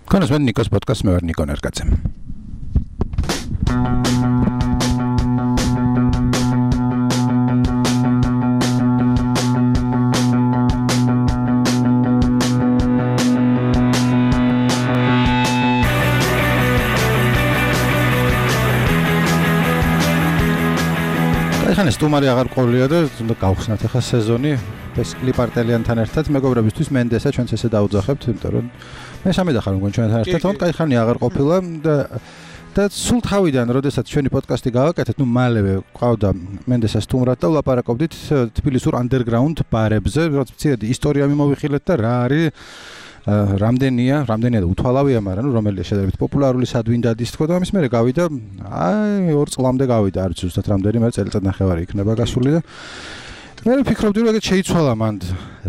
Conus med Nikos podcast με Νίκο Νερκάτσε. ხან სტუმარი აღარ ყოლია და უნდა გავხსნათ ახლა სეზონი ეს კლიპარტელიანთან ერთად მეგობრებისთვის მენდესა ჩვენც ესე დაუძახებთ იმიტომ რომ მე სამედახარ მგონი ჩვენთან ერთად თუმცა კაი ხანი აღარ ყოფილა და სულ თავიდან როდესაც ჩვენი პოდკასტი გავაკეთეთ ნუ მალევე ყავდა მენდესა სტუმრად და ვლაპარაკობდით თბილისურ underground ბარებზე რაც მცირედი ისტორია მიმოვიხილეთ და რა არის რამდენია და უთვალავია, მაგრამ რომელია შედარებით პოპულარული სადვინდადის თქო და ამის მერე გავიდა, აი 2 წლამდე გავიდა, არ ვიცი ზუსტად რამდენი, მაგრამ წელიწადნახევარი იქნება გასული და მე ვფიქრობდი რომ ეგეთ შეიცვალა მანდ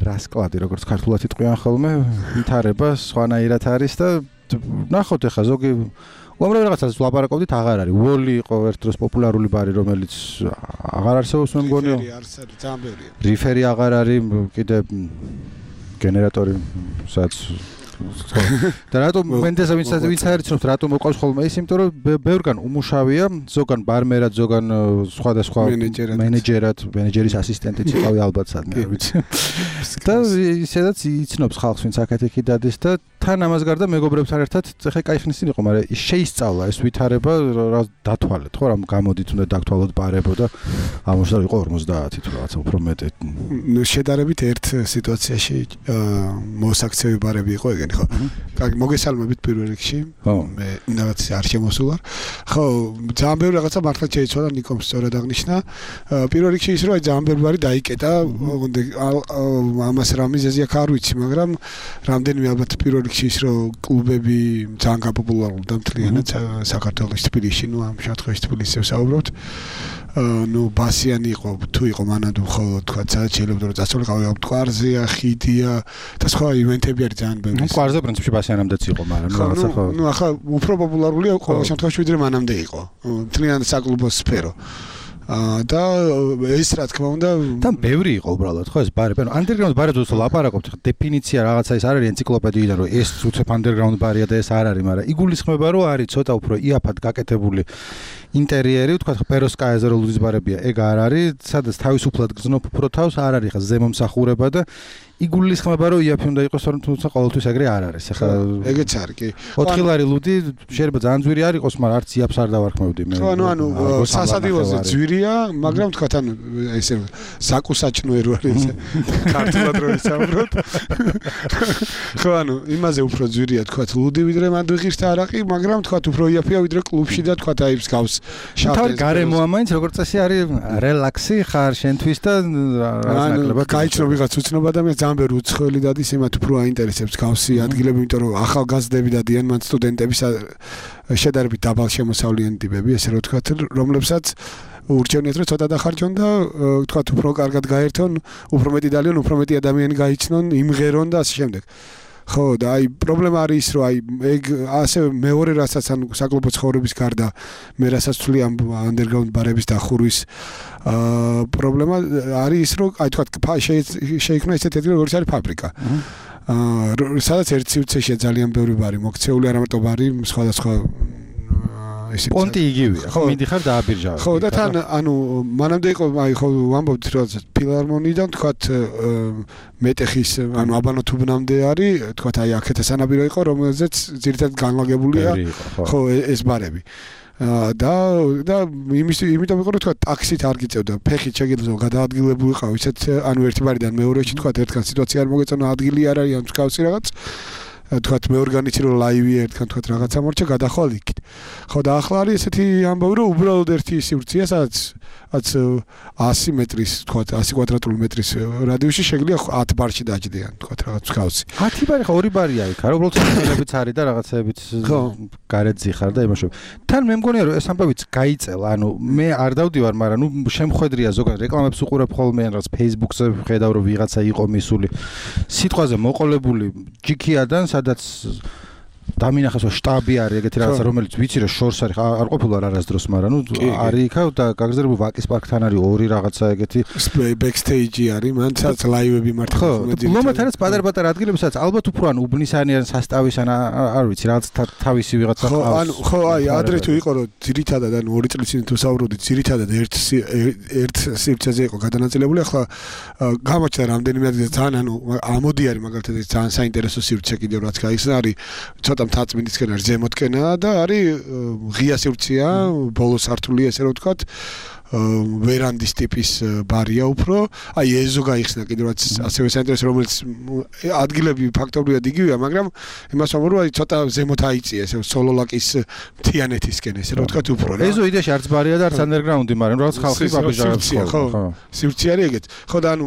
რასკლადი, როგორც ქართულად იტყვიან ხოლმე, ვითარება სხვანაირად არის და ნახოთ ახლა ზოგი უამრავ რაღაცას ვლაპარაკობდით, აღარ არის. ვოლი იყო ერთ დროს პოპულარული ბარი, რომელიც აღარ არსებობს მე მგონი. რიფერი აღარ არის, კიდე გენერატორი სადაც და რატომ მენდესა ვინც აერჩნოთ რატომ მოყავს ხოლმე ის იმიტომ რომ ბევრგან უმუშავია ზოგან ბარმერად ზოგან სხვადასხვა მენეჯერის ასისტენტიც იყავი ალბათ სადმე არ ვიცი და ისედაც იცნობს ხალხს ვინც აქეთ-იქით დადის და თან ამას გარდა მეგობრებთან ერთად ეხა კაი ხნისინ იყო მაგრამ ის შეისწავლა ეს ვითარება რა დათვალეთ ხო რა გამოდით უნდა დაგთვალოთ ბარებო და ამოშდა იყო 50 თუ რაღაცა უფრო მეტი ნუ შედარებით ერთ სიტუაციაში მოსაქცევი ბარები იყო ეგენი ხო მოგესალმებით პირველ რიგში მე რაღაც არ შემოსულარ ხო ძალიან ბევრი რაღაცა მართლა შეიცვალა ნიკომ სწორად აღნიშნა პირველ რიგში ის რომ აი ძალიან ბევრი ბარი დაიკეტა ამას რა მიზეზი აქ არ ვიცი მაგრამ რამდენიმე ალბათ პირველ რიგში ის რომ კლუბები ძალიან გაპოპულარულდა მთლიანად საქართველოს თბილისში ნუ ამ შატყეში თბილისში ვსაუბრობთ ნუ ბასიანი იყო თუ იყო მანამდე ხოლმე თქვა სადაც შეიძლება რომ წასულიყავი მტკვარზეა ხიდია და სხვა ივენთები არის ძალიან ბევრი მტკვარზე პრინციპში ბასიანამდეც იყო მაგრამ რაღაცა ხო ნუ ახლა უფრო პოპულარულია ყოველ შემთხვევაში ვიდრე მანამდე იყო მთლიანი საკლუბო სფერო და ეს რა თქმა უნდა და ბევრი იყო უბრალოდ ხო ეს ბარი ანუ underground ბარებზე უცებ ლაპარაკობთ დეფინიცია რაღაცა ის არ არის ენციკლოპედიიდან რომ ეს უცებ underground ბარია და ეს არ არის მაგრამ იგულისხმება რომ არის ცოტა უფრო იაფად გაკეთებული ინტერიერი თქვა პეროსკაიაზე რო ლუდის ბარებია ეგ არ არის სადაც თავისუფლად გზნობ უფრო თავს არ არის ხა ზემომსახურება და იგულისხმება რომ იაფი უნდა იყოს თუმცა ყოველთვის ეგრე არ არის ახლა ეგეც არის კი 4 ლარი ლუდი შეიძლება ძალიან ძვირი არ იყოს მაგრამ არც იაფს არ დავარქმევდი მე ანუ სასადილოზე ძვირია მაგრამ თქვა ანუ ესე საკუსაჭნუერო არის ქართულად რო ვისაუბროთ ხო ანუ იმაზე უფრო ძვირია თქვა ლუდი ვიდრე მანდ ვიღირს და არაყი მაგრამ თქვა უფრო იაფია ვიდრე კლუბში და თქვა აი ის გავს შავ გარემოა მაინც როგორც წესი არის რელაქსი ხარ შენთვის და რაღაცნაკლებად გაიჩნო ვიღაც უცნობა ადამიანს ძალიან ბევრი უცხოელი დადის იმათ უფრო აინტერესებს გავსი ადგილები იმიტომ რომ ახალგაზრდები დადიან მან სტუდენტები შედარებით დაბალ შემოსავლიანი ტიპები ესე რომ ვთქვათ რომლებსაც ურჩევნიათ რომ ცოტა დახარჯონ და ვთქვათ უფრო კარგად გაერთონ უფრო მეტი დალიონ უფრო მეტი ადამიანი გაიჩნონ იმღერონ და ასე შემდეგ ხო და აი პრობლემა არის ის რომ აი ეგ ასე მეორე რასაც ან საკლუბო ცხოვრების გარდა მე რასაც ვთვლი ამ underground ბარების დახურვის პრობლემა არის ის რომ აი თქვათ შეიქმნა ესეთი ადგილი როგორც არის ფაბრიკა სადაც ერთ სივრცეშია ძალიან ბევრი ბარი მოქცეული არა მარტო ბარი სხვადასხვა პონტი იგივეა ხო მიდიხარ დააბირჟავებ ხო და თან ანუ მანამდე იყო აი ხო ვამბობთ რომ ფილარმონიიდან თქვათ მეტეხის ანუ აბანოთუბნამდე არის თქვათ აი აქეთ სანაპირო იყო რომელზეც ძირითადად განლაგებულია ხო ეს ბარები და იმიტომ იყო რომ თქვა ტაქსით არ გიწევდა ფეხით შეგიძლია გადაადგილებულიყავ ისეთ ანუ ერთი ბარიდან მეორეში თქვა ერთგან სიტუაცია არ მოგეწონა ადგილი არ არის ან მსგავსი რაღაც თქვათ მე ორგანიზი რომ ლაივია ერთგან თქვათ რაღაცა მორჩა გადახვალ იქით ხო და ახლა არის ესეთი ამბავი რომ უბრალოდ ერთი სივრცეა სადაც 100 მეტრის თქვათ 100 კვადრატული მეტრის რადიუსში შეგიძლია 10 ბარში დაჯდიან თქვათ რაღაც მსგავსი 10 ბარი ხო 2 ბარია იქ არა უბრალოდ ცელებიც არის და რაღაცეებიც გარეთზე ხარ და იმაშობ თან მე მგონია რომ ეს ამბავიც გაიწელა ანუ მე არ დავდივარ მაგრამ ნუ შემხედრია ზოგადად რეკლამებს უყურებ ხოლმე ან რაღაც Facebook-ზე ხედავ რომ ვიღაცა იყო მისული სიტყვაზე მოყოლებული ჯიქიადან სადაც დამინახეს რომ შტაბი არის ეგეთი რაღაცა რომელიც ვიცი რომ შორს არის არ ყოფილა არასდროს მაგრამ ნუ არის იქა და გაგზავნილი ვაკის პარკთან არის ორი რაღაცა ეგეთი ბექსტეიჯი არის მან სადაც ლაივები მართლა ლომათანაც პატარ-პატარ ადგილები სადაც ალბათ უფრო ან უბნისანი ან სასტავის ან არ ვიცი რაღაც თავისი ვიღაცა ყავს ხო აი ადრე თუ იყო რომ ძირითადად ან 2 წლის წინ თუ საუბრობდით ძირითადად ერთ სივრცეზე იყო გადანაწილებული ახლა გამოჩნდა რამდენიმე ადგილზე ძალიან ანუ ამოდი არის მაგალითად ეს ძალიან საინტერესო სივრცე კიდევ რაც გაიხსნა არის ცოტა მთაწმინდისკენ არის ზემოთკენა და არის ღია სივრცეა ბოლო სართული ესე რომ ვთქვათ ვერანდის ტიპის ბარია უფრო აი ეზო გაიხსნა კიდევ რაც ასევე საინტერესო რომელიც ადგილები ფაქტობრივად იგივეა მაგრამ იმას ვამბობ რომ აი ცოტა ზემოთ აიწია ესე სოლოლაკის მთიანეთისკენ ესე რომ ვთქვათ უფრო რა ეზო იდეაში არც ბარია და არც ანდერგრაუნდი მაგრამ რაღაც ხალხი ბაბიჟარებს ხო სივრცე არის ეგეთ ხო და ანუ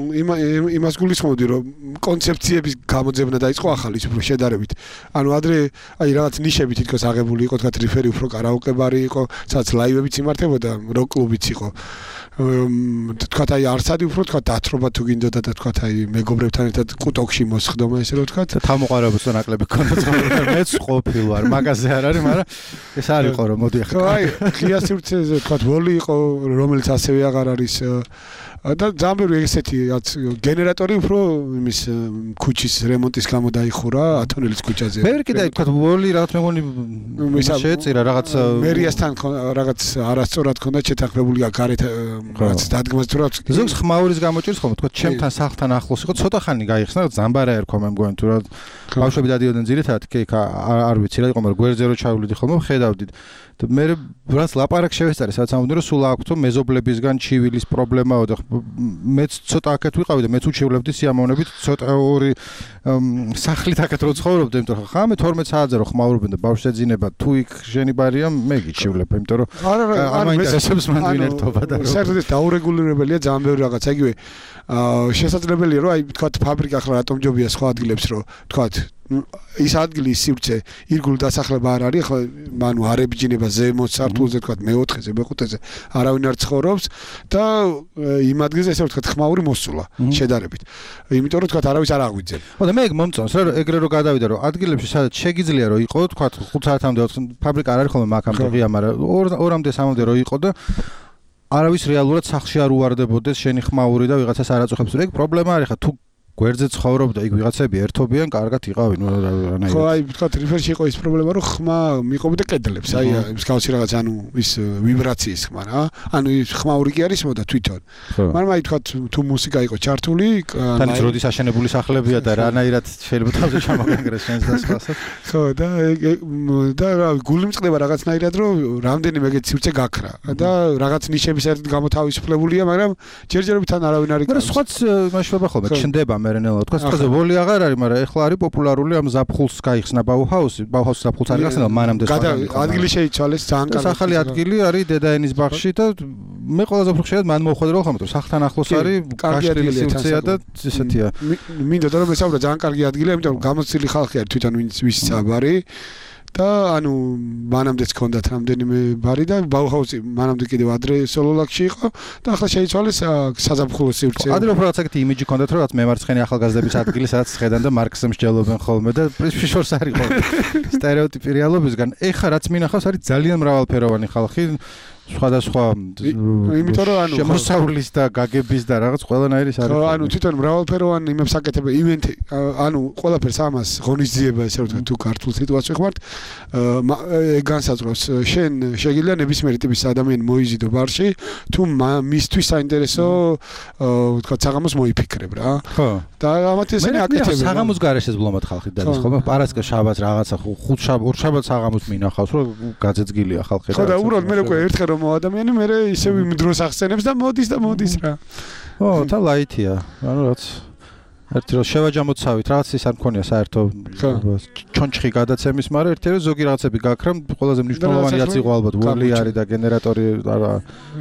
იმას გულისხმობდი რომ კონცეფციების გამოძებნა დაიწყო ახალი უფრო შედარებით ანუ ადრე აი რაღაც ნიშები თითქოს აღებული იყო თქვათ რიფერი უფრო კარაოკე ბარი იყო სადაც ლაივებიც იმართებოდა როკ კლუბიც იყო თქვათ აი არსადი უფრო თქვათ დათრობა თუ გინდოდა და თქვათ აი მეგობრებთან ერთად კუტოქში მოსხდომა ესე რომ თქვათ თავმოყარებულს და ნაკლები ქონდა მეც ყოფილი ვარ მაგაზე არ არის მაგრამ ეს არ იყო რომ მოდი ახლა აი ღია სივრცეზე თქვათ ვოლი იყო რომელიც ასევე აღარ არის და ძალიან ბევრი ესეთი რაც გენერატორი უფრო იმის ქუჩის რემონტის გამო დაიხურა ათონელის ქუჩაზე. მე კიდე თქვა ვოლი რაღაც მეგონი შეეწირა რაღაც მერიასთან რაღაც არასწორად ქონდა შეთანხმებული გარეთ რაც დადგმას თუ რაც ზოგს ხმაურის გამოჭირს ხომ თქვა ჩემთან სახლთან ახლოს იყო ცოტა ხანი გაიხსნა ზამბარა ერქვა მე მგონი თუ რა ბავშვები დადიოდნენ ძირითადად კი არ ვიცი რა იყო მაგრამ გვერდზე რო ჩავვლიდი ხოლმე ხედავდით და მე რაც ლაპარაკ შევესწარი სადაც ამბობდნენ რომ სულ აქვს მეზობლებისგან ჩივილის პრობლემაო და მეც ცოტა აქეთ ვიყავი და მეც უჩივლებდი სიამოვნებით ცოტა ორი სახლით აქეთ რო ცხოვრობდი იმიტომ რომ ხა მე 12 საათზე რო ხმაურობენ და ბავშვს ეძინება თუ იქ ჟენი ბარია მე გიჩივლებ იმიტომ რომ არ მაინტერესებს მან ვინერთობა და საერთოდ დაურეგულირებელია ძალიან ბევრი რაღაცა იგივე შესაძლებელია რომ აი თქვათ ფაბრიკა ახლა რატომ ჯობია სხვა ადგილებს რომ თქვათ ის ადგილი სივრცე ირგულ დასახლება არ არის ახლა მანუ არ ებჯინება ზემო სართულზე თქვათ მე-4-ზე მე-5-ზე არავინ არ ცხოვრობს და იმ ადგილზე ესე ვთქვათ ხმაური მოსულა შედარებით იმიტომ რომ თქვათ არავის არ აღვიძენ ხო და მე ეგ მომწონს რა ეგრე რო გადავიდა რომ ადგილებში სადაც შეგიძლია რომ იყო თქვათ 5 საათამდე ფაბრიკა არ არის ხოლმე მაგამდე ღია მაგრამ 2-მდე 3-მდე რო იყო და არავის რეალურად სახლში არ უვარდებოდეს შენი ხმაური და ვიღაცას არ აწუხებს ეგ პრობლემა არის ხა თუ გვერდზე ცხოვრობდა იქ ვიღაცები ერთობიან კარგად იყავი ნუ რანაირად ხო აი თქვათ რიფერში იყო ის პრობლემა რომ ხმა მიყობდა კედლებს აი მსგავსი რაღაც ანუ ის ვიბრაციის ხმა რა ანუ ის ხმაური კი არის მოდა თვითონ მაგრამ აი თქვათ თუ მუსიკა იყო ჩართული თანაც როდის აშენებული სახლებია და რანაირად შეიძლება თავზე ჩამოგანგრეს შენს დასხასაც ხო და გული მწყდება რაღაცნაირად რომ რამდენიმე ეგეთ სივრცე გაქრა და რაღაც ნიშების ერთად გამოთავისუფლებულია მაგრამ ჯერჯერობით თან არავინ არ იქნება მაგრამ სხვაც მაშობა ხოლმე ჩნდება მერენელა თქვა სწორედ ვოლი აღარ არის მაგრამ ეხლა არის პოპულარული ამ ზაფხულს გაიხსნა ბაუჰაუსი ზაფხულს არის გახსნა მანამდე ადგილი შეიცვალეს ძალიან კარგი სახალი ადგილი არის დედაენის ბაღში და მე ყველაზე უფრო ხშირად მან მოხვდა რომ ხომ სახლთან ახლოს არის გაშლილი სივრცეა და ესეთია მინდოდა რომ ესაუბრა ძალიან კარგი ადგილია იმიტომ რომ გამოცილი ხალხი არის თვითონ ვის საბარი და ანუ მანამდეც ჰქონდათ რამდენიმე ბარი და ბაუჰაუსი მანამდე კიდევ ადრე სოლოლაკში იყო და ახლა შეიცვალეს საზაფხულო სივრცე. ადრე უფრო რაღაც ეგეთი იმიჯი ჰქონდათ რომ რაღაც მემარცხენე ახალგაზრდების ადგილი სადაც ხედან და მარქსს მსჯელობენ ხოლმე და შორს არის ხოლმე სტერეოტიპი რეალობისგან. ეხა რაც მინახავს არის ძალიან მრავალფეროვანი ხალხი სხვადასხვა იმიტომ რომ ანუ შემოსავლის და გაგების და რაღაც ყველანაირი არის. ხო, ანუ თვითონ მრავალფეროვანი იმებს აკეთებ ივენთი, ანუ ყველაფერს ამას ღონისძიება ესე ვთქვათ თუ ქართულ სიტუაციას ვხმართ, განსაზღვროს შენ შეგიძლია ნებისმიერი ტიპის ადამიანი მოიზიდო ბარში, თუ მისთვის საინტერესო ვთქვათ საღამოს მოიფიქრებ რა. ხო. და ამათ ესენი აკეთებენ. საღამოს გარეშე ზბლომად ხალხი დადის ხოლმე, პარასკევ შაბათს რაღაცა ხუთ შაბათს საღამოს მინახავს, რომ გაძეძგილია ხალხი. ხო და უბრალოდ მე უკვე ერთხელ რომ ადამიანი მე ისევ იმ დროს ახსენებს და მოდის რა. ო, თა ლაითია. ანუ რაც ერთი რომ შევაჯამოცავით, რაღაც ის არ მქონია საერთო ჩონჩხი გადაცემის, მაგრამ ერთი რომ ზოგი რაღაცები გაქრა, ყველაზე მნიშვნელოვანი რაც იყო ალბათ ვოლი არის და გენერატორი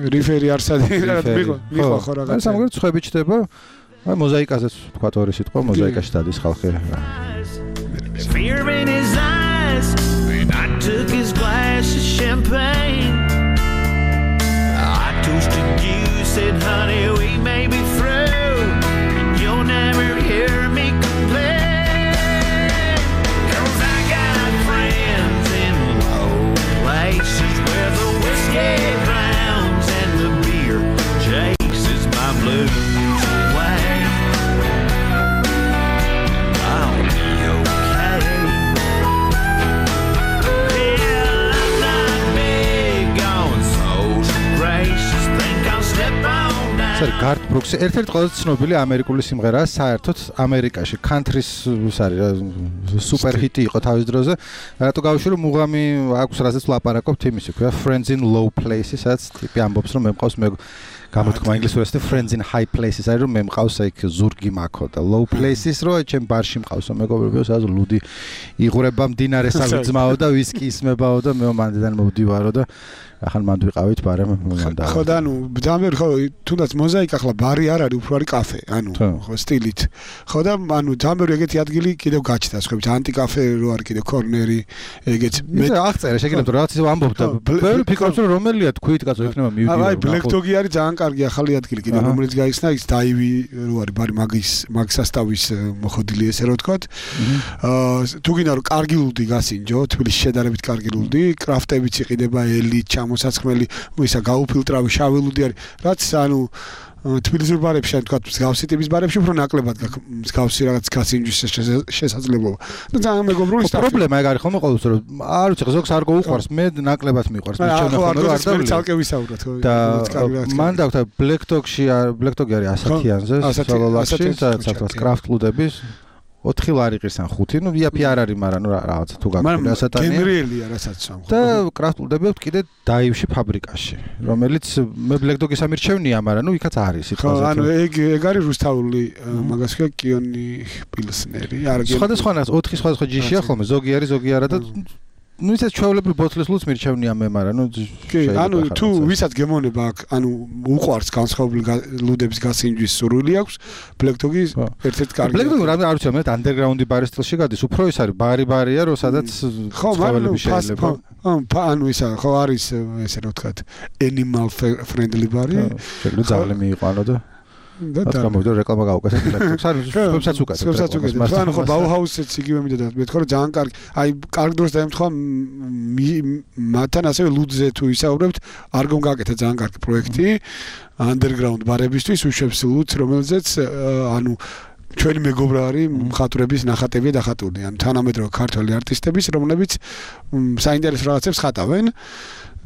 რიფერი არსადი რაღაც მიყვა ხო რაღაცა. ეს ამგვარად ხვები ჩდება. აი მოზაიკაზეც თქვა ორი სიტყვა, მოზაიკაში დადის ხალხი. Fear in his eyes, I took his glass of champagne. Toasted you, said honey we may be through and you'll never hear me complain 'cause I got friends ეს გარდ ბრუქსი ერთ-ერთი ყველაზე ცნობილი ამერიკული სიმღერაა საერთოდ ამერიკაში country-ს სუპერ ჰიტი იყო თავის დროზე რატო გავიშვი რომ მუღამი აქვს რაზეც ვლაპარაკობთ იმისი ქვია Friends in Low Places რაც ტიპი ამბობს რომ მე მყავს მე გამოთქმა ინგლისურად Friends in High Places არის რომ მე მყავს იქ ზურგი მაქო და Low Places რო ჩემ ბარში მყავსო მეგობრებიო სადაც ლუდი იღურება მდინარეს აღძმაო და ვისკი ისმებაო და მე მანდიდან მოვდივარო და ახლა მანდ ვიყავით ბარემ მომანდა ხო და ანუ ძამერ ხო თუნდაც მოზაიკა ახლა ბარი არ არის უფრო არის კაფე ანუ ხო სტილით ხო და ანუ ძამერ ეგეთი ადგილი კიდევ გაჩნდა სხვაებით ანტი კაფე რო არის კიდევ კორნერი ეგეც მე აღწერე შეგიძლიათ რომ რაღაც ისე ამბობ და ბევრი ფიქრობს რომ რომელია თქვით კაცო იქნება მივიდიო აი Black Dog-ი არის ძალიან კარგი ახალი ადგილი კიდევ რომელიც გაიხსნა ის დაივი რო არის ბარი მაგის მაგსასტავის მოხდილი ესე რო ვთქვათ თუ გინდა რომ კარგი ლუდი გასინჯო თბილისში შედარებით კარგი ლუდი კრაფტებიც იყიდება ელი მოსაცხმელი ისა გაუფილტრავი შავი ლუდი არის რაც ანუ თბილისურ ბარებში ან თქვა მსგავსი ტიპის ბარებში უფრო ნაკლებად მსგავსი რაღაც გასინჯვის შესაძლებლობა და ძალიან მეგობრული პრობლემა ეგ არის ხომ ყოველთვის რომ არ ვიცი ზოგს არ გოუყვარს მე ნაკლებად მიყვარს მე ჩემო არ დავი ცალკე ვისაუბროთ ხო და მან დავთა Black Dog-ში Black Dog-ი არის ასათიანზე სოლოლაში სადაც კრაფტ ლუდების 4 ლარი ყირს ან 5 ნუ VIP არ არის მაგრამ ნუ რაღაც თუ გაგვიდა ასათანია გენრიელია რასაც სამ და კრაფტ ლუდები კიდე დაივში ფაბრიკაში რომელიც მე Black Dog-ის ამირჩევნია მაგრამ ნუ იქაც არის სიტყვაზე ანუ ეგ არის რუსთავული მაგას ქვია კიონი პილსნერი არ გე სხვადასხვა 4 სხვადასხვა ჯიშია ხოლმე ზოგი არის ზოგი არა და ნუ ისე ჩვეულებრივ ბოთლის ლუდს მირჩევნია მე მაგრამ ნუ კი ანუ თუ ვისაც გემონება აქვს ანუ უყვარს განსხვავებული ლუდების გასინჯვის სურვილი აქვს Black Dog-ის ერთ-ერთი კარგი Black Dog რამე არ ვიცი მე underground-ი ბარის სტილში გადის უფრო ის არის ბარია რომ სადაც ცხოველები შეიძლება ანუ ისა ხო არის ესე რა ვთქვათ animal friendly ბარი შეგვიძლია ძაღლი მიიყვანო და და გამოვიდა რეკლამა გავუკეთეთ Black Dog-ს არის ვებსაც უკეთებ ანუ ხო Bauhaus-იც იგივე მიდოდა მე თქო რომ ძალიან კარგი აი კარგ დროს დაემთხვა მათთან ასევე ლუდზე თუ ისაუბრებთ არ გონგაკეთა ძალიან კარგი პროექტი underground ბარებისთვის უშვებს ლუდს რომელზეც ანუ ჩვენი მეგობრარი მხატვრების ნახატებია დახატული ან თანამედროვე ქართველი არტისტების რომლებიც საინტერესო რაღაცებს ხატავენ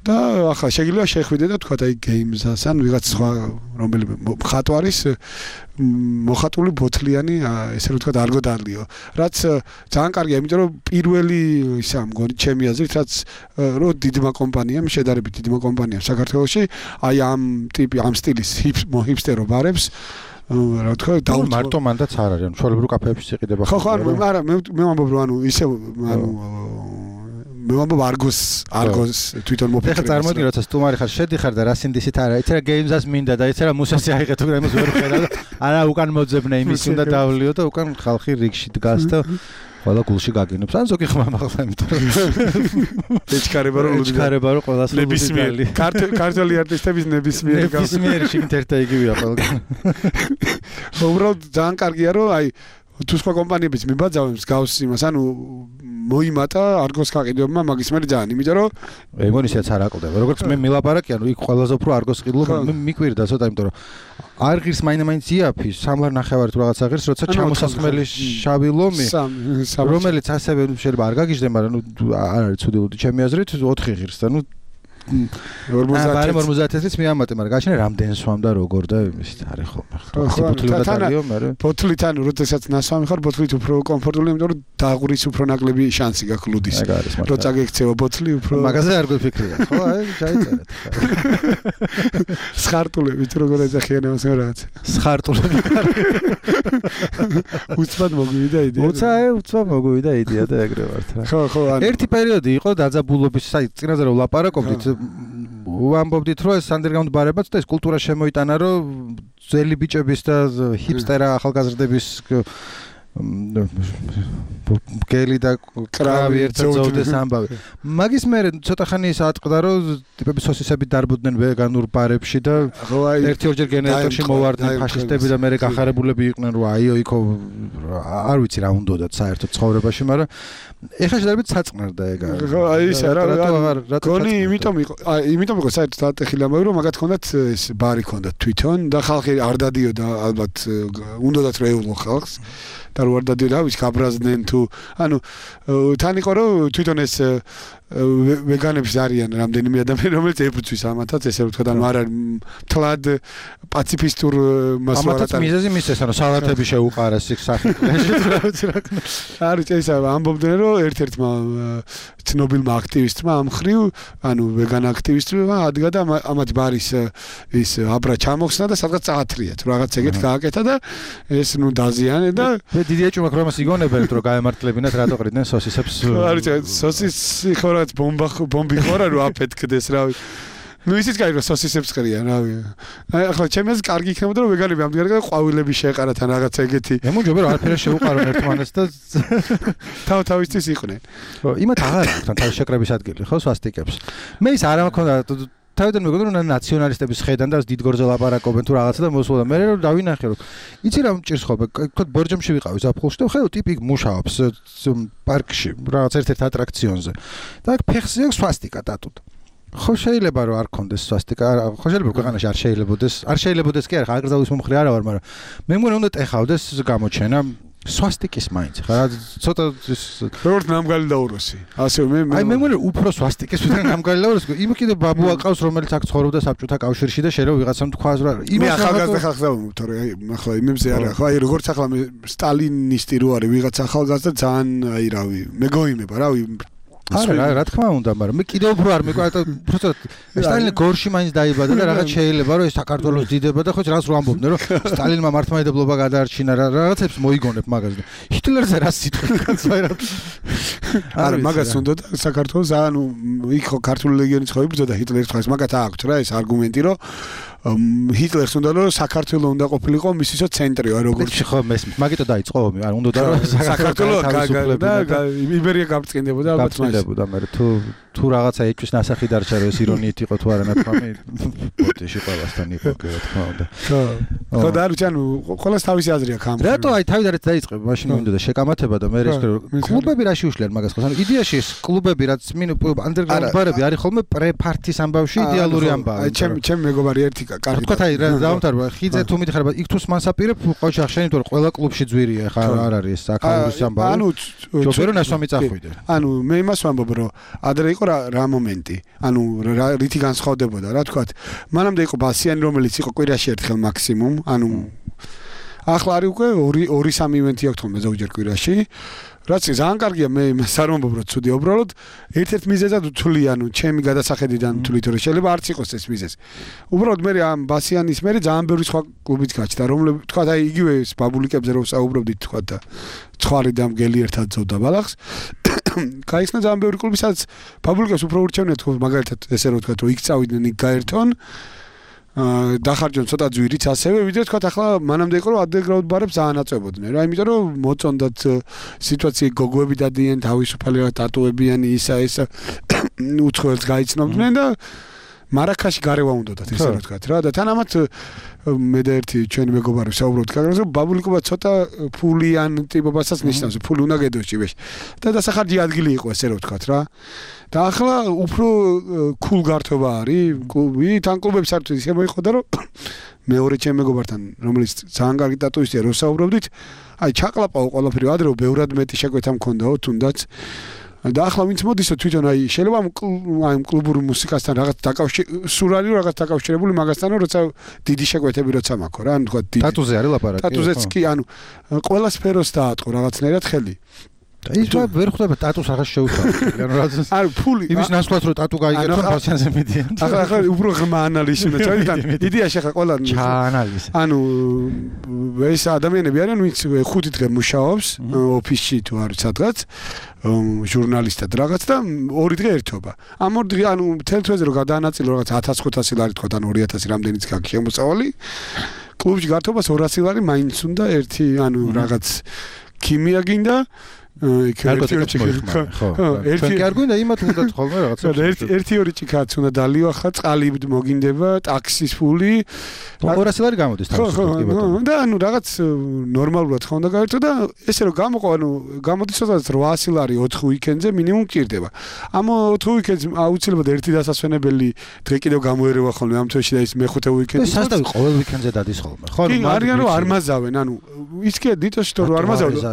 და ახლა შეიძლება შეხვიდე და თქვა აი games-ას ან ვიღაც სხვა რომელიმე მხატვარის მოხატული ბოთლიანი ესე რომ თქვა არ გოდარლიო რაც ძალიან კარგია იმიტომ რომ პირველი ისა მგონი ჩემი აზრით რაც რო დიდმა კომპანიამ შედარებით დიდმა კომპანიამ საქართველოში აი ამ ტიპი ამ სტილის ჰიპსტერო ბარებს რა თქვა და მარტო მანდაც არ არის ანუ ჩვეულებრივ კაფეებში იყიდება ხო არა მე ვამბობ რომ ანუ ისე ანუ მე ვამბობ არგოს თვითონ მოფიქრე. ეხლა წარმოიდგინე როცა სტუმარი ხარ, შედიხარ და რა სინდისით არა, იცი რა გეიმზას მინდა და იცი რა მუსასი აიღე თუ იმას ვერ ხედავ და არა უკან მოძებნე იმის უნდა დავლიო და უკან ხალხი რიგში დგას და ყველა გულში გაგინობს. ან ზოგი ხმა მაღლა იმიტომ რომ ეჩქარება რომ ყველას ნებისმიერი ქართული არტისტების ნებისმიერი შიგნით ერთა იგივეა ყველგან. უბრალოდ ძალიან კარგია რომ აი თუ სხვა კომპანიებიც მიბაძავენ მსგავს იმას, ანუ მოიმატა არგოს გაყიდვებმა მაგის მერე ძალიან, იმიტომ რომ ეგონისიაც არ აკლდება. როგორც მე მილაპარაკი, ანუ იქ ყველაზე უფრო არგოს ყიდულობა მე მიკვირდა ცოტა, იმიტომ რომ არ ღირს მაინც იაფის, სამლარ ნახევარი თუ რაღაცა ღირს, როცა ჩამოსასხმელი შავი ლომი, რომელიც ასევე შეიძლება არ გაგიჟდე, მაგრამ ნუ არ არის ცუდი ლუდი ჩემი აზრით, 4 ღირს და ნუ 50-ს მიამატე, მაგრამ გაჩნდა რამდენი სვამდა როგორ და იმის არის ხოლმე. ბოთლი უნდა დალიო, მაგრამ ბოთლიდან როდესაც ნასვამი ხარ, ბოთლით უფრო კომფორტული, იმიტომ რომ დაღურის უფრო ნაკლები შანსი გაქვს ლუდის. რო წაგექცევა ბოთლი უფრო მაგაზე არ გვიფიქრია, ხო? აი, ჩაიწერეთ. სხარტულები თუ როგორ ეძახიან ამას რაღაც. სხარტულები. უცბად მოგვივიდა იდეა. უცბად მოგვივიდა იდეა და ეგრე ვართ რა. ხო, ერთი პერიოდი იყო დაძაბულობის, აი, წინაზე რომ ლაპარაკობდით ვამბობდით რომ ეს underground ბარებაც და ეს კულტურა შემოიტანა რომ ძველი ბიჭების და ჰიპსტერა ახალგაზრდების გელი და კრავი ერთად ზოვდეს ამბავი. მაგის მერე ცოტა ხანი ის ატყდა რომ ტიპები სოსისები დარბოდნენ ვეგანურ ბარებში და ერთი-ორჯერ გენერატორში მოვარდნენ ფაშისტები და მერე გახარებულები იყვნენ რომ აიო იქო არ ვიცი რა უნდათ საერთოდ ცხოვრებაში, მაგრამ ეხლა შედარებით საწყნარდა ეგ არის. ხო, აი ეს რა გონი იმიტომ იყო საერთოდ ატეხილი ამბავი რომ მაგათ ჰქონდათ ეს ბარი ჰქონდათ თვითონ და ხალხი არ დადიოდა ალბათ უნდათ რეულო ხალხს. და არ ვარ დადი რა ვიცი გაბრაზდნენ თუ ანუ თან იყო რომ თვითონ ეს ვეგანებს არიან რამდენიმე ადამიანი რომელიც ეფუძვის ამათაც ესე ვთქვა და არ თლად პაციფისტურ მასალად ამათაც მიზეზი მისცეს ანუ სალათები შეუყარეს იქ საფრთხეში არის ეს ამბობდნენ რომ ერთ-ერთმა ცნობილმა აქტივისტმა ამ ხრივ ანუ ვეგან აქტივისტმა ადგა და ამათ ბარის ის აბრა ჩამოხსნა და სადღაც წაათრიათ რაღაც ეგეთ გააკეთა და ეს ნუ დაზიანე და დიდია ჭუმა ქრომას იგონებენ რომ გაემართლებინათ რატო ყრიდნენ სოსისებს არის სოსისი ხორაც ბომბი ხორა რომ აფეთქდეს რავი ნუ ისიც კაი რომ სოსისებს ყრიან რავი ახლა ჩემს კარგი იქნებოდა რომ ვეგანები ამდენ და ყვავილები შეეყარათ ან რაღაც ეგეთი მე მომჯობე რომ არაფერი შეუყარონ ერთმანეთს და თავისთვის იყვნენ ხო იმათ აღარ აქვს თან თავის შეკრების ადგილი ხო სვასტიკებს მე ის არ მქონდა თავიდან მეგონა რომ ნაციონალისტების ხედან და დიდგორზე ლაპარაკობენ თუ რაღაცა და მოსულა მე რომ დავინახე რომ იცი რა მჭირს ხო ვთქვათ ბორჯომში ვიყავი ზაფხულში და ხედავ ტიპი მუშაობს პარკში რაღაც ერთ-ერთ ატრაქციონზე და აქ ფეხზე აქვს სვასტიკა დატუდა ხო შეიძლება რომ არ კონდეს სვასტიკა ხო შეიძლება რომ ქვეყანაში არ შეიძლებადეს კი არა აღგრძავის მომხრე არა ვარ მაგრამ მე მგონი უნდა ტეხავდეს გამოჩენა სვასტიკის მაინც ხა ცოტა როგორც ნამგალი დაუროსი ასე მე მე მგონი უფრო სვასტიკის ვიდრე ნამგალი დაუროსი იმ კიდე ბაბუ აყავს რომელიც აქ ცხოვრობდა საბჭოთა კავშირში და შეიძლება ვიღაცამ თქვას რა მე ახალგაზრდა ხალხს დავუმობ თორე ახლა იმებზე არა ხო აი როგორც ახლა მე სტალინისტი რო არის ვიღაც ახალგაზრდა ძალიან აი რავი მეგოიმება რავი არა რა თქმა უნდა მაგრამ მე კიდევ უფრო არ მეკვირდა უბრალოდ სტალინი გორში მაინც დაიბადა და რაღაც შეიძლება რომ ეს საქართველოს დიდება და ხო რაც რო ამბობდნენ რომ სტალინმა მართლმადიდებლობა გადაარჩინა რაღაცებს მოიგონებ მაგაზე ჰიტლერზე რა სიტყვი კაცო არა მაგას უნდა საქართველოს ანუ იქ ხო ქართული ლეგიონის ხო იბრძოდა ჰიტლერის ხალხს მაგათ აქვს რა ეს არგუმენტი რომ ჰიტლერს უნდა რომ საქართველოს უნდა ყოფილიყო მისისო ცენტრიო როგორც ხო მესმის მაგიტო დაიწყო ომი არ უნდა რომ საქართველოს და იბერია გაბწყინდებოდა გაბწყინდებოდა მე თუ რაღაცა ეჭვის ნასახი დარჩა რომ ეს ირონიით იყო თუ არა ნათქვამი პოტეში ყველასთან იყო რა თქმა უნდა ხო და არ ჩანო ყველას თავისი აზრი აქვს ამ რატო აი თავიდან დაიწყებ მაშინ მინდოდა შეკამათება და მე ეს კლუბები რაში უშლიან მაგას ხო ანუ იდეაში ეს კლუბები რაც ანდერგრაუნდ ბარები არის ხოლმე პრეფართის ამბავში იდეალური ამბავი ჩემ მეგობარი ერთი კარგი თქვა აი რა დავამთავრე ხიძე თუ მითხარ იქ თუ მანსაპირებ ყოჩი ახშენი თუ ყველა კლუბში ძვირია ხა არ არის ეს აკაურის ამბავი ანუ ჯობერო ნასვამი წახვიდე ანუ მე იმას ვამბობ რომ ადრე იყო რა მომენტი ანუ რითი განსხვავდებოდა რა თქვა მანამდე იყო ბასიანი რომელიც იყო კვირაში ერთხელ მაქსიმუმ ანუ ახლა არის უკვე 2-3 ივენთი აქვს თქო ზოგჯერ კვირაში რაც ძალიან კარგია მე არ მომბობ რომ ცუდია უბრალოდ ერთ-ერთ მიზეზად ვთვლი ანუ ჩემი გადასახედიდან ვთვლი რომ შეიძლება არც იყოს ეს მიზეზი უბრალოდ მე ამ ბასიანის მე ძალიან ბევრი სხვა კლუბიც გაჩნდა რომლებიც თქვა აი იგივე ეს ბაბულიკებზე რომ საუბრობდით თქვა და ცხარი და მგელი ერთად ძოვდა ბალახს გაიხსნა ძალიან ბევრი კლუბი სადაც ბაბულიკებს უფრო ურჩევნია თქო მაგალითად ესე რომ თქვა რომ იქ წავიდნენ იქ გაერთონ დახარჯონ ცოტა ძვირიც ასევე ვიდრე თქვა ახლა მანამდე იყო რომ ანდერგრაუნდ ბარებს ძალიან აწევოდნენ რა იმიტომ რომ მოწონდათ სიტუაცია გოგოები დადიან თავისუფალი რა ტატუებიანი ისა ეს უცხოელს გაიცნობდნენ და მარაკაში გარევა უნდათ ესე რომ თქვა რა და თან ამათ მე და ერთი ჩვენი მეგობარი საუბრობთ კაგრაზე რომ ბაბულიკობა ცოტა ფულიან ტიპობასაც ნიშნავს ფული უნდა გედოში ვეშ და დასახარჯი ადგილი იყო ესე რომ თქვა რა და ახლა უფრო კულ გართობა არის კლუბი თან კლუბებს არ თვითონ შემოიხოდა რომ მეორე ჩემ მეგობართან რომელიც ძალიან კარგი ტატუისტია რო საუბრობდით აი ჩაყლაპაო ყველაფერი ადრე ბევრად მეტი შეკვეთა მქონდაო თუნდაც და ახლა ვინც მოდისო თვითონ აი შეიძლება აი კლუბურ მუსიკასთან რაღაც სურალი რაღაც დაკავშირებული მაგასთან როცა დიდი შეკვეთები როცა მაქვს რა ანუ თქვა ტატუზე არის ლაპარაკი ტატუზეც კი ანუ ყველა სფეროს დაატყო რაღაცნაირად ხელი ის ვერ ხვდება ტატუს რაღაც შეუთავი ანუ რა არ ფული იმის ნაცვლად რომ ტატუ გაიგებო ბასიანზე მიდიან ახლა უფრო ღრმა ანალიზი უნდა ჩაიდან იდეაში ახლა ყველა ჩაანალიზი ანუ ეს ადამიანები არიან ვინც 5 დღე მუშაობს ოფისში თუ არის სადღაც ჟურნალისტად რაღაც და 2 დღე ერთობა ამ 2 დღე ანუ მთელ თვეზე რომ გადაანაწილო რაღაც 1500 ლარი თქვა ან 2000 რამდენიც გაქვს შემოსავალი კლუბში გართობას 200 ლარი მაინც უნდა ერთი ანუ რაღაც ქიმია გინდა ერთი არ გვინდა იმათ უნდათ ხოლმე რაღაცა. ერთი-ორი ჭიქაც უნდა დალივახა, წყალი მოგინდება, ტაქსის ფული. 200 ლარი გამოდის თავისუფლად. და ანუ რაღაც ნორმალურად ხო უნდა გაერთო და ესე რომ გამოყო, ანუ გამოდის სადაც 800 ლარი 4 უიკენდზე მინიმუმ გჭირდება. ამ 4 უიკენდს აუცილებლად ერთი დასასვენებელი დღე კიდევ გამოერევა ხოლმე ამ თვეში და ის მეხუთე უიკენდი. სასტავი ყოველ უიკენდზე დადის ხოლმე. ხო, არიან რომ არ μαζავენ, ანუ ის კი დიტოში თუ არ μαζავენ.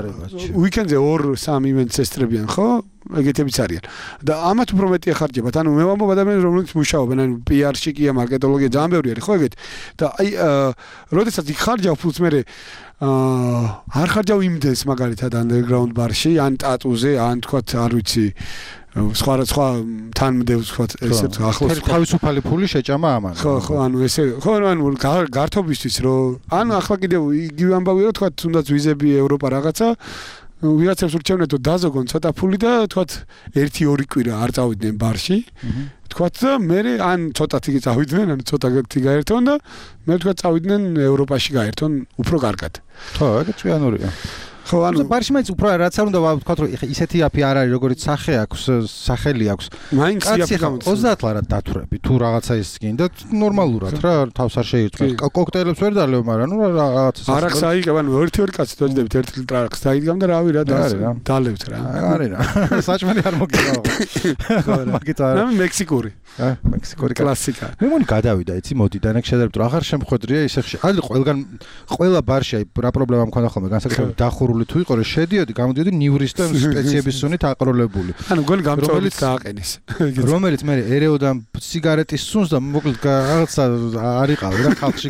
უიკენდზე 2-3 ივენტს ესწრებიან, ხო? ეგეთებიც არიან. და ამათ უფრო მეტი ახარჯებათ. ანუ მე ვამბობ ადამიანებს, რომლებიც მუშაობენ, ანუ PR-ში კი მარკეტოლოგია ძალიან ბევრი არის, ხო ეგეთ? და აი, როდესაც იქ ხარჯავ ფულს მე არ ხარჯავ იმდენს მაგალითად underground bar-ში, ან ტატუზე, ან თქვათ, არ ვიცი, სხვა თანმდევს თქვათ, ესე ახლოს თავისუფალი ფული შეჭამა ამან. ხო, ანუ ესე, ხო, ანუ გართობისთვის რომ, ანუ ახლა კიდევ იგივე ამბავია რომ თქვათ, თუნდაც ვიზები ევროპა რაღაცა ვიღაცებს ურჩევნეთ რომ დაზოგონ ცოტა ფული და თქვათ 1-2 კვირა არ წავიდნენ ბარში. თქვათ და მე ან ცოტათი წავიდნენ, ან ცოტათი გაერთონ და მე თქვათ წავიდნენ ევროპაში გაერთონ უფრო კარგად. ხო, ეგ ჭიანურია. ხო, ანუ ბარში მაინც უფრო რაც არ უნდა ვთქვათ რომ ისეთი აფი არ არის, როგორც სახე აქვს, სახელი აქვს. მაინც იაფი გამოდის. 30 ლარად დათვრები, თუ რაღაცა ის გინდა, ნორმალურად რა, თავს არ შეირთმევ. კოქტეილებს ვერ დალევ, მაგრამ ნუ რაღაცა. არახს აიგებ, ანუ 1-2 კაცი დაждდებით 1 ლიტრ არახს დაიგამ და რავი რა დალევთ რა. არის რა. საჭმელი არ მოგივა. ხო, მაგით არა. მე მექსიკური. მექსიკური კლასიკა. მე მგონი გადავიდა, იცი, მოდი და ნაკ შედარებით რომ აღარ შემხვედრია ისე ხშირ. აი ყველგან ყველა ბარში აი რა პრობლემა მქონდა ხოლმე, განსაკუთრებით დახურული თუ იყო, რომ შედიოდი, გამოდიოდი ნიურის და სპეციების სუნით აყროლებული. ანუ გონი გამწოლით დააყენეს. რომელიც მე ერეოდა სიგარეტის სუნს და მოკლედ რაღაცა არ იყავი რა ხალხში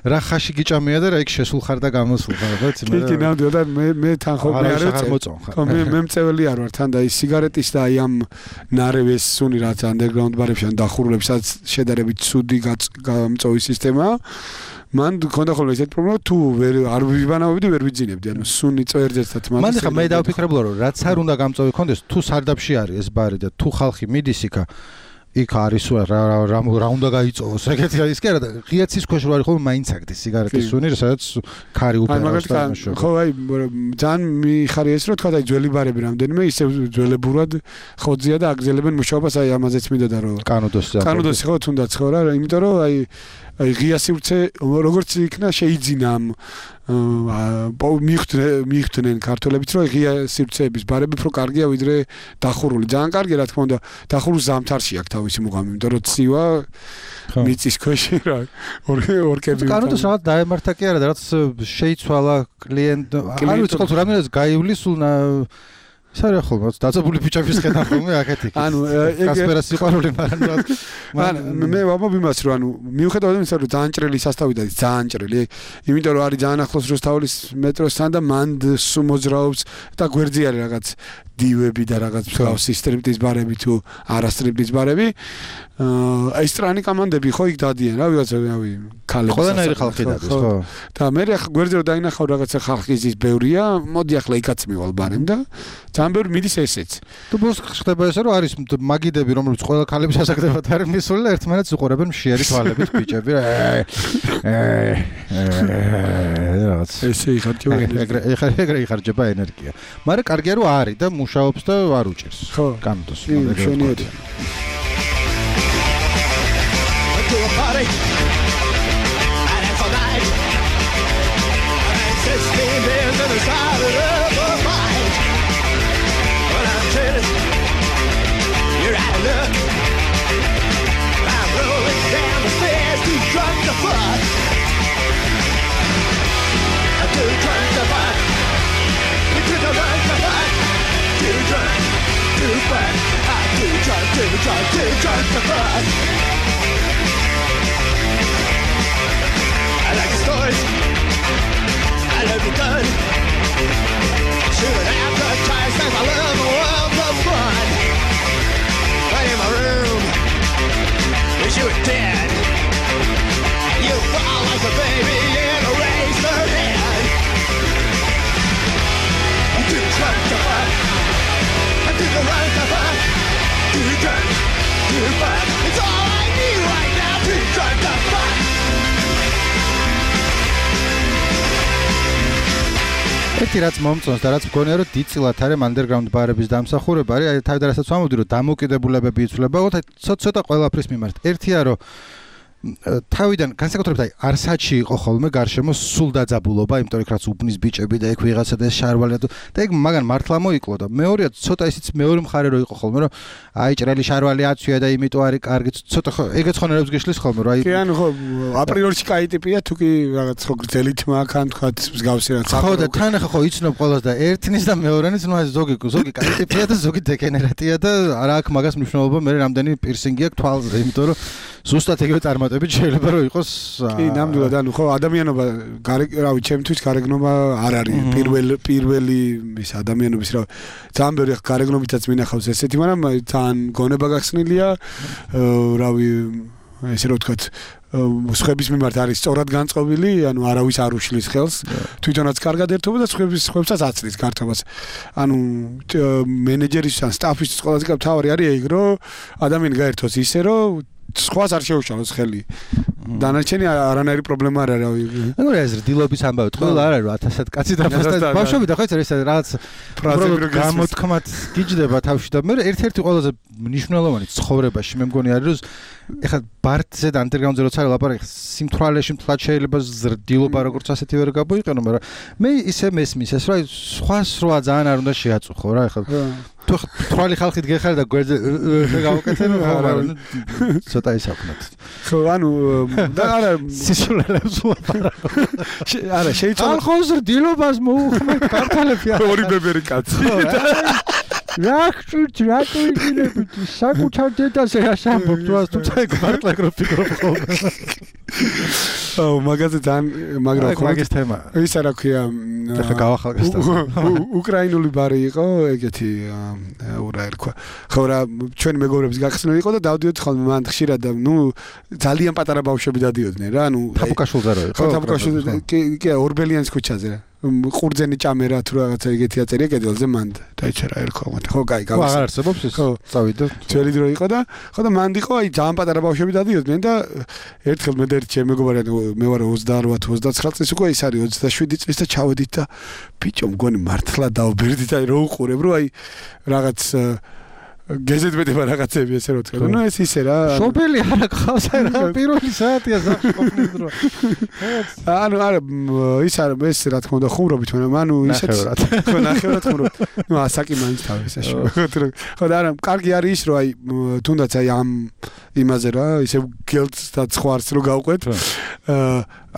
რა ხაში გიჭამია და რა იქ შესულ ხარ და გამოსულ ხარ, რა იცი მე. კი, ნამდვილად და მე თან ხო მე არ ვწევ. ხო, მე მწეველი არ ვარ თან და ის სიგარეტის და აი ამ ნარევეს სუნი რაც underground ბარებში ან დახურულებს სადაც შედარებით ცუდი გამწოვი სისტემაა. მან ქონდა ხოლმე ესეთი პრობლემა თუ არ ვიბანავებდი ვერ ვიძინებდი ანუ სუნი წერძერთან თმას მან ხა მე დავფიქრებულა რომ რაც არ უნდა გამწოვი კონდეს თუ სარდაფში არის ეს ბარი და თუ ხალხი მიდის იქ არის რა უნდა გაიწოვოს ეგეთი ის კი არა და ღიაცის ქვეშ რო არის ხოლმე მაინც აგდის სიგარეტის სუნი სადაც ქარი უფერავს და ხო აი ძალიან მიხარია ეს რომ თქვა აი ძველი ბარები რამდენიმე ისე ძველებურად ხოძია და აგზელებენ მუშაობას აი ამაზეც მინდოდა რომ კანოდოსი ხო თუნდაც ხო რა იმიტომ რომ აი ღია სივრცე როგორც იქნა შეიძინა ამ მიხვდნენ ქართველებიც რომ ღია სივრცეების ბარები უფრო კარგია ვიდრე დახურული ძალიან კარგია რა თქმა უნდა დახურულ ზამთარში აქვს თავისი მუღამი იმიტომ რომ ცივა მიწის ქვეშ რა ორკები კანოდოს რაღაც დაემართა კი არა და რაც შეიცვალა კლიენტ არ ვიცი ხო რამდენად გაივლის სულ სარია ხოლმე დაწებული ფიჭების ხედავ ხოლმე აქეთი ანუ კასპერას სიყვარული მაგრამ მე ვამბობ იმას რომ ანუ მიუხედავად იმისა რომ ძალიან ჭრელი სასტავი და ძალიან ჭრელი იმიტომ რომ არის ძალიან ახლოს რუსთავის მეტროსთან და მანდ მოძრაობს და გვერდზე არის რაღაც დივები და რაღაც მსგავსი სტრიპტიზ ბარები თუ არა სტრიპტიზ ბარები აი სტრანი კომანდები ხო იქ დადიან რა ვიღაცა რავი ქალები ყველანაირი ხალხი დადის ხო და მე ახლა გვერდზე რომ დაინახავ რაღაცა ხალხი ის ბევრია მოდი ახლა იქაც მივალ ბარემ და ძალიან ბევრი მიდის ესეც თუ ბოს ხდება ესე რომ არის მაგიდები რომლებიც ყველა ქალების ასაკდებად არის მისული და ერთმანეთს უყურებენ მშიერი თვალებით ბიჭები რაღაც ესე იხარჯება ეგრე იხარჯება ენერგია მაგრამ კარგია რომ არის და მუშაობს და არ უჭირს კანოდოს მშვენიერი You're out of luck. I'm rolling down the stairs, too drunk to fuck. I'm too drunk to fuck. You took a run to fuck. Too drunk to fuck. I'm too drunk to fuck. I like the stories. I love the gun. Shooting advertised as I love the world of fun. Right in my room, wish you were dead. You fall like a baby in a razor head. I'm too drunk to fuck. I'm too drunk to fuck. Too drunk to fuck. It's all I need right now. Too drunk to fuck. ერთი რაც მომწონს და რაც მგონია რომ დიდწილად არის underground ბარების დამსახურება არის აი თავიდან რასაც ვამბობდი რომ დამოუკიდებულებები იცვლება ცოტა ყველაფრის მიმართ ერთია რომ თავიდან განსაკუთრებით აი არსაჩი იყო ხოლმე გარშემო სულ დაძაბულობა იმიტომ რომ რაც უბნის ბიჭები და ეგ ვიღაცა და ეს შარვალი და ეგ მაგან მართლა მოიკლო და მეორეა ცოტა ისიც მეორე მხარე რო იყო ხოლმე რომ აი ჭრელი შარვალი აცვია და იმიტომ არის კარგი ცოტა ხო ეგეც ხონერებს გიშლის ხოლმე რომ აი კი ანუ ხო აპრიორში კაი ტიპია თუ კი რაღაც ხო გრძელი თმა ხან თქვა მსგავსი რაც ხო და თან ახლა ხო იცნობ ყველას და ერთნის და მეორენის ნუ ზოგი კაი ტიპია და ზოგი დეგენერატია და არა აქვს მაგას მნიშვნელობა მე რამდენი პირსინგი აქვს თვალზე იმიტომ რომ ზუსტად ეგრე წარმატებით შეიძლება რომ იყოს კი ნამდვილად ანუ ხო ადამიანობა რავი ჩემთვის გარეგნობა არ არის პირველი ის ადამიანობის რა ძალიან ბევრი გარეგნობითაც მინახავს ესეთი მაგრამ თან გონება გახსნილია რავი ესე რომ ვთქვათ სხვების მიმართ არის სწორად განწყობილი ანუ არავის არ უშლის ხელს თვითონაც კარგად ერთობა და სხვებსაც აცლის გართობას ანუ მენეჯერის ან სტაფის ყველაზე მთავარი არის ეგ რომ ადამიანი გაერთოს ისე რომ სხვას არ შეუშალოს ხელი. დანარჩენი არანაირი პრობლემა არ არის. ანუ ეს დილობის ამბავი ყველა არ არის 1000 კაცი და ბავშვები და ხო ეს რაღაც გამოთქმად გიჯდება თავში და მე ერთ-ერთი ყველაზე მნიშვნელოვანი ცხოვრებაში მე მგონი არის რომ ეხლა ბარტზე და underground-ზე როცა ლაპარაკი სიმთვრალეში მთლად შეიძლება ზრდილობა როგორც ასეთი ვერ გამოიყენო მაგრამ მე ისე მესმის ეს რა სხვა ძალიან არ უნდა შეაწუხო რა ეხლა თუ თვალი ხალხით გეხარ და გვერდზე გავაკეთებ მაგრამ ცოტა ისავნოთ ხო ანუ და არა სისულელებს ლაპარაკო არა შეიძლება ხალხო ზრდილობას მოუხმეთ ქართალები ორი ბებერი კაცი რახჭუთ რატო იგინებით საკუთარ დედაზე ასამბობ თუმცა ეგ მართლა გროფიკროფ ხოლმე აუ მაგაზე თან მაგრამ ხო მაგის თემა ისა რა ქვია ახლა გავახალგესტა უკრაინული ბარი იყო ეგეთი ურა ერქვა ხო რა ჩვენი მეგობრების გახსნილი იყო და დავდიოდი ხოლმე მან ხშირად და ნუ ძალიან პატარა ბავშვები დადიოდნენ რა ნუ თაფუკაშულზე რო იყო ხო თაფუკაშულზე კი ორბელიანის ქუჩაზე რა ყურძენი ჭამერა თუ რაღაცა ეგეთი აწერია კედელზე მან დაიწერა ერქვა მაგრამ ხო კაი გავას აღარ არსებობს ეს წავიდა ძველი დრო იყო და ხო და მან იყო აი ძალიან პატარა ბავშვები დადიოდნენ და ერთხელ მე და ერთ ჩემ მეგობარი მე ვარ 28-29 წლის უკვე ის არის 27 წლის და ჩავედით და ბიჭო მგონი მართლა დავბერდით აი რო უყურებ რო აი რაღაც გეზეთბედება რაღაცები ესე რო თქვა. ნუ ეს ისე რა. შობელი არა გყავს რა პირველი საათია ზაფხულში ყოფნის დრო. ანუ არა ის არა ეს რა თქმა უნდა ხუმრობით მაგრამ ანუ ისეთ ხო ნახევრად ხუმრობ. ნუ ასაკი მაინც თავის ეშო. ხო და არა კარგი არის ის რომ აი თუნდაც აი ამ იმაზე რა ისე გელს და ცხوارს რო გავყვეთ.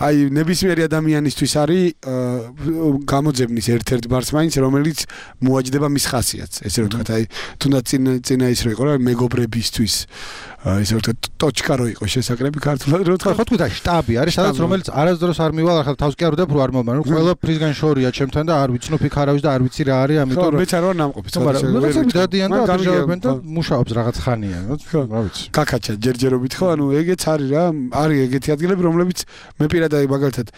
აი ნებისმიერი ადამიანისთვის არის გამოძებნის ერთ-ერთ ბარს მაინც რომელიც მოაჯდება მის ხასიათს. ესე რომ თქვა აი თუნდაც წინა ის რო იყო რა მეგობრებისთვის ესე რომ ტოჩკა რო იყო შესაკრები ქართულად რო თქვა ხო თქვა შტაბი არის სადაც რომელიც არასდროს არ მივალ ახლა თავს კი არ ვდებ რო არ მომბან ყველა ფრისგან შორია ჩემთან და არ ვიცნობ იქ არავის და არ ვიცი რა არის ამიტომ ხო მეც არ ვარ ნამყოფი მაგრამ დადიან და აბიჯავებენ და მუშაობს რაღაც ხანია რა ვიცი კაკაჩა ჯერჯერობით ხო ანუ ეგეც არის რა არის ეგეთი ადგილები რომლებიც მე პირადად მაგალითად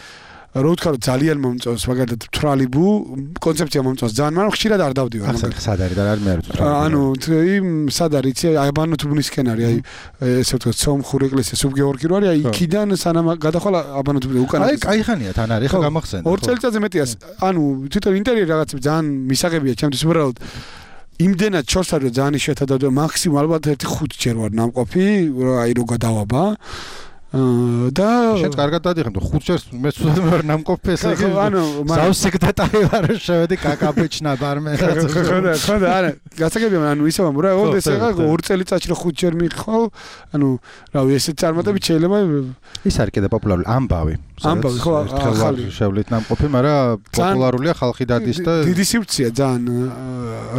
რო ვთქვა რომ ძალიან მომწონს მაგალითად თრალიბუ კონცეფცია მომწონს ძალიან მაგრამ ხშირად არ დავდივარ მაგალითად სად არის და არ მე არ ვიცი ანუ იმ სად არის იცი აი აბანოთუბნისკენ არის აი ესე ვთქვა სომხური ეკლესია სუბგეორგი რო არის აი იქიდან სანამ გადახვალ აბანოთუბნი უკან აი кайხანია თან არის ხო გამახსენე 2 წელიწადზე მეტია ანუ თვითონ ინტერიერი რაღაცები ძალიან მისაღებია ჩემთვის უბრალოდ იმდენად ჩორს არის ძალიან იშვიათად და მაქსიმუმ ალბათ 1-5 ჯერ ვარ ნამყოფი აი რო გადავაბა და შენ კარგად დადიხარ 5 ჯერს მე ცუდად ვარ ნამყოფი ესე იგი ანუ ზავსეკრეტარი ვარ შევედი კაკაბეჩნა ბარმე ხო და არა გასაგებია ანუ ისე ვამბობ რა ოლდეს ეგ 2 წელიწადში 5 ჯერ მიყავ ანუ რავი ესეთ წარმატებით შეიძლება ის არის კიდე პოპულარული ამბავი ხო ახალი შევლით ნამყოფი მაგრამ პოპულარულია ხალხი დადის და დიდი სივრცეა ძალიან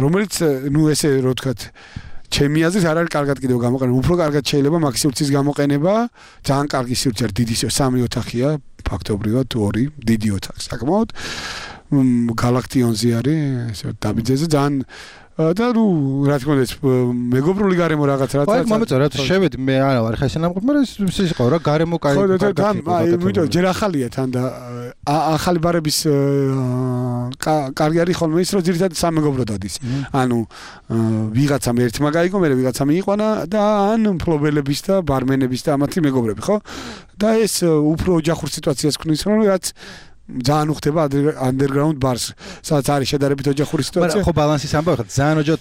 რომელიც ნუ ესე რო ვთქვათ ჩემი აზრით არ არის კარგად კიდევ გამოყენება. უფრო კარგად შეიძლება მაქსიმუმის გამოყენება. ძალიან კარგი სივრცე არის, დიდი 3 ოთახია, ფაქტობრივად 2 დიდი ოთახი საკმაოდ. გალაქტიონზე არის, ესე დაბიძეზე ძალიან და ნუ რა თქმა უნდა მეგობრული გარემო რაღაც რაც აი მომეწონა რა შევედი მე არა ვარ ხა ესე ნამყოფი მაგრამ ის იყო რა გარემო კაი ხო და აი იმიტომ ჯერ ახალია თან და ახალი ბარების კარგი არის ხოლმე ის რომ ძირითადად სამეგობრო დადის ანუ ვიღაცამ ერთმა გაიგო მე ვიღაცამ მიიყვანა და ან ფლობელების და ბარმენების და ამათი მეგობრები ხო და ეს უფრო ოჯახურ სიტუაციას ქნის რომ რაც ძალიან უხდება underground bars, სადაც არის შედარებით ოჯახური სიტუაცია. მაგრამ ხო ბალანსის ამბავი ხარ, ძალიან ოჯახ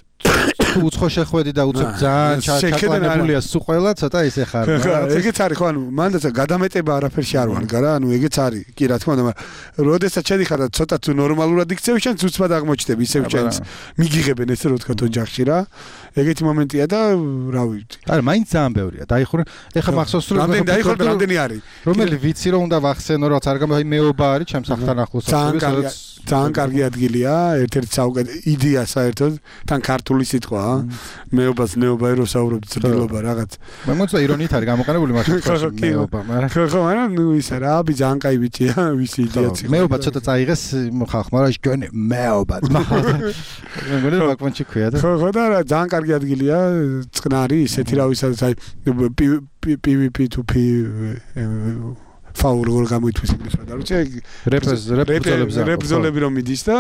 უცხო შეხვედი და უცხო ძალიან ჩაკვანებულია სულ ყველა ცოტა ისე ხარ. ეგეც არის ხო, ანუ მანდაც გადამეტება არაფერში არ ვარ, გარა, ანუ ეგეც არის. კი რა თქმა უნდა, მაგრამ როდესაც შედიხარ და ცოტა თუ ნორმალურად იქცევ, შენ უცბად აღმოჩნდები, ისევ ჩენს მიგიღებენ ესე რო თქვა ოჯახში რა. ეგეთი მომენტია და რა ვიცი. არა, მაინც ძალიან ბევრია. დაიხურე, ეხლა მახსოვს რომ რამდენი არის? რომელი ვიცი რომ უნდა ვახსენო, რაღაც არ გამო, აი მეობა არის ჩემს ახთან ახლოს. ძალიან კარგი ადგილია, ერთ-ერთი საუკეთესო იდეა საერთოდ, თან ქართული სიტყვაა. მეობას ნეობა რო საუბრობთ ცდილობა რაღაც. მე მოწვა ირონიით არის გამოყენებული მაშინ მეობა, მაგრამ ხო, მაგრამ ნუ ისა რა, აბი ძალიან კაი ბიჭია, ვისი იდეაც იყო. მეობა ცოტა წაიღეს ხალხმა, რა შეგონი მეობა. მე მგონი რომ ბაკმანჩი ქვია და. ხო და რა ძალიან კარგი ადგილია, წყნარი, ისეთი რა ვისაც აი PvP to P ფაულ როგორ გამოითვის ინგლისურად არ ვიცი რეპრეზოლები რომ მიდის და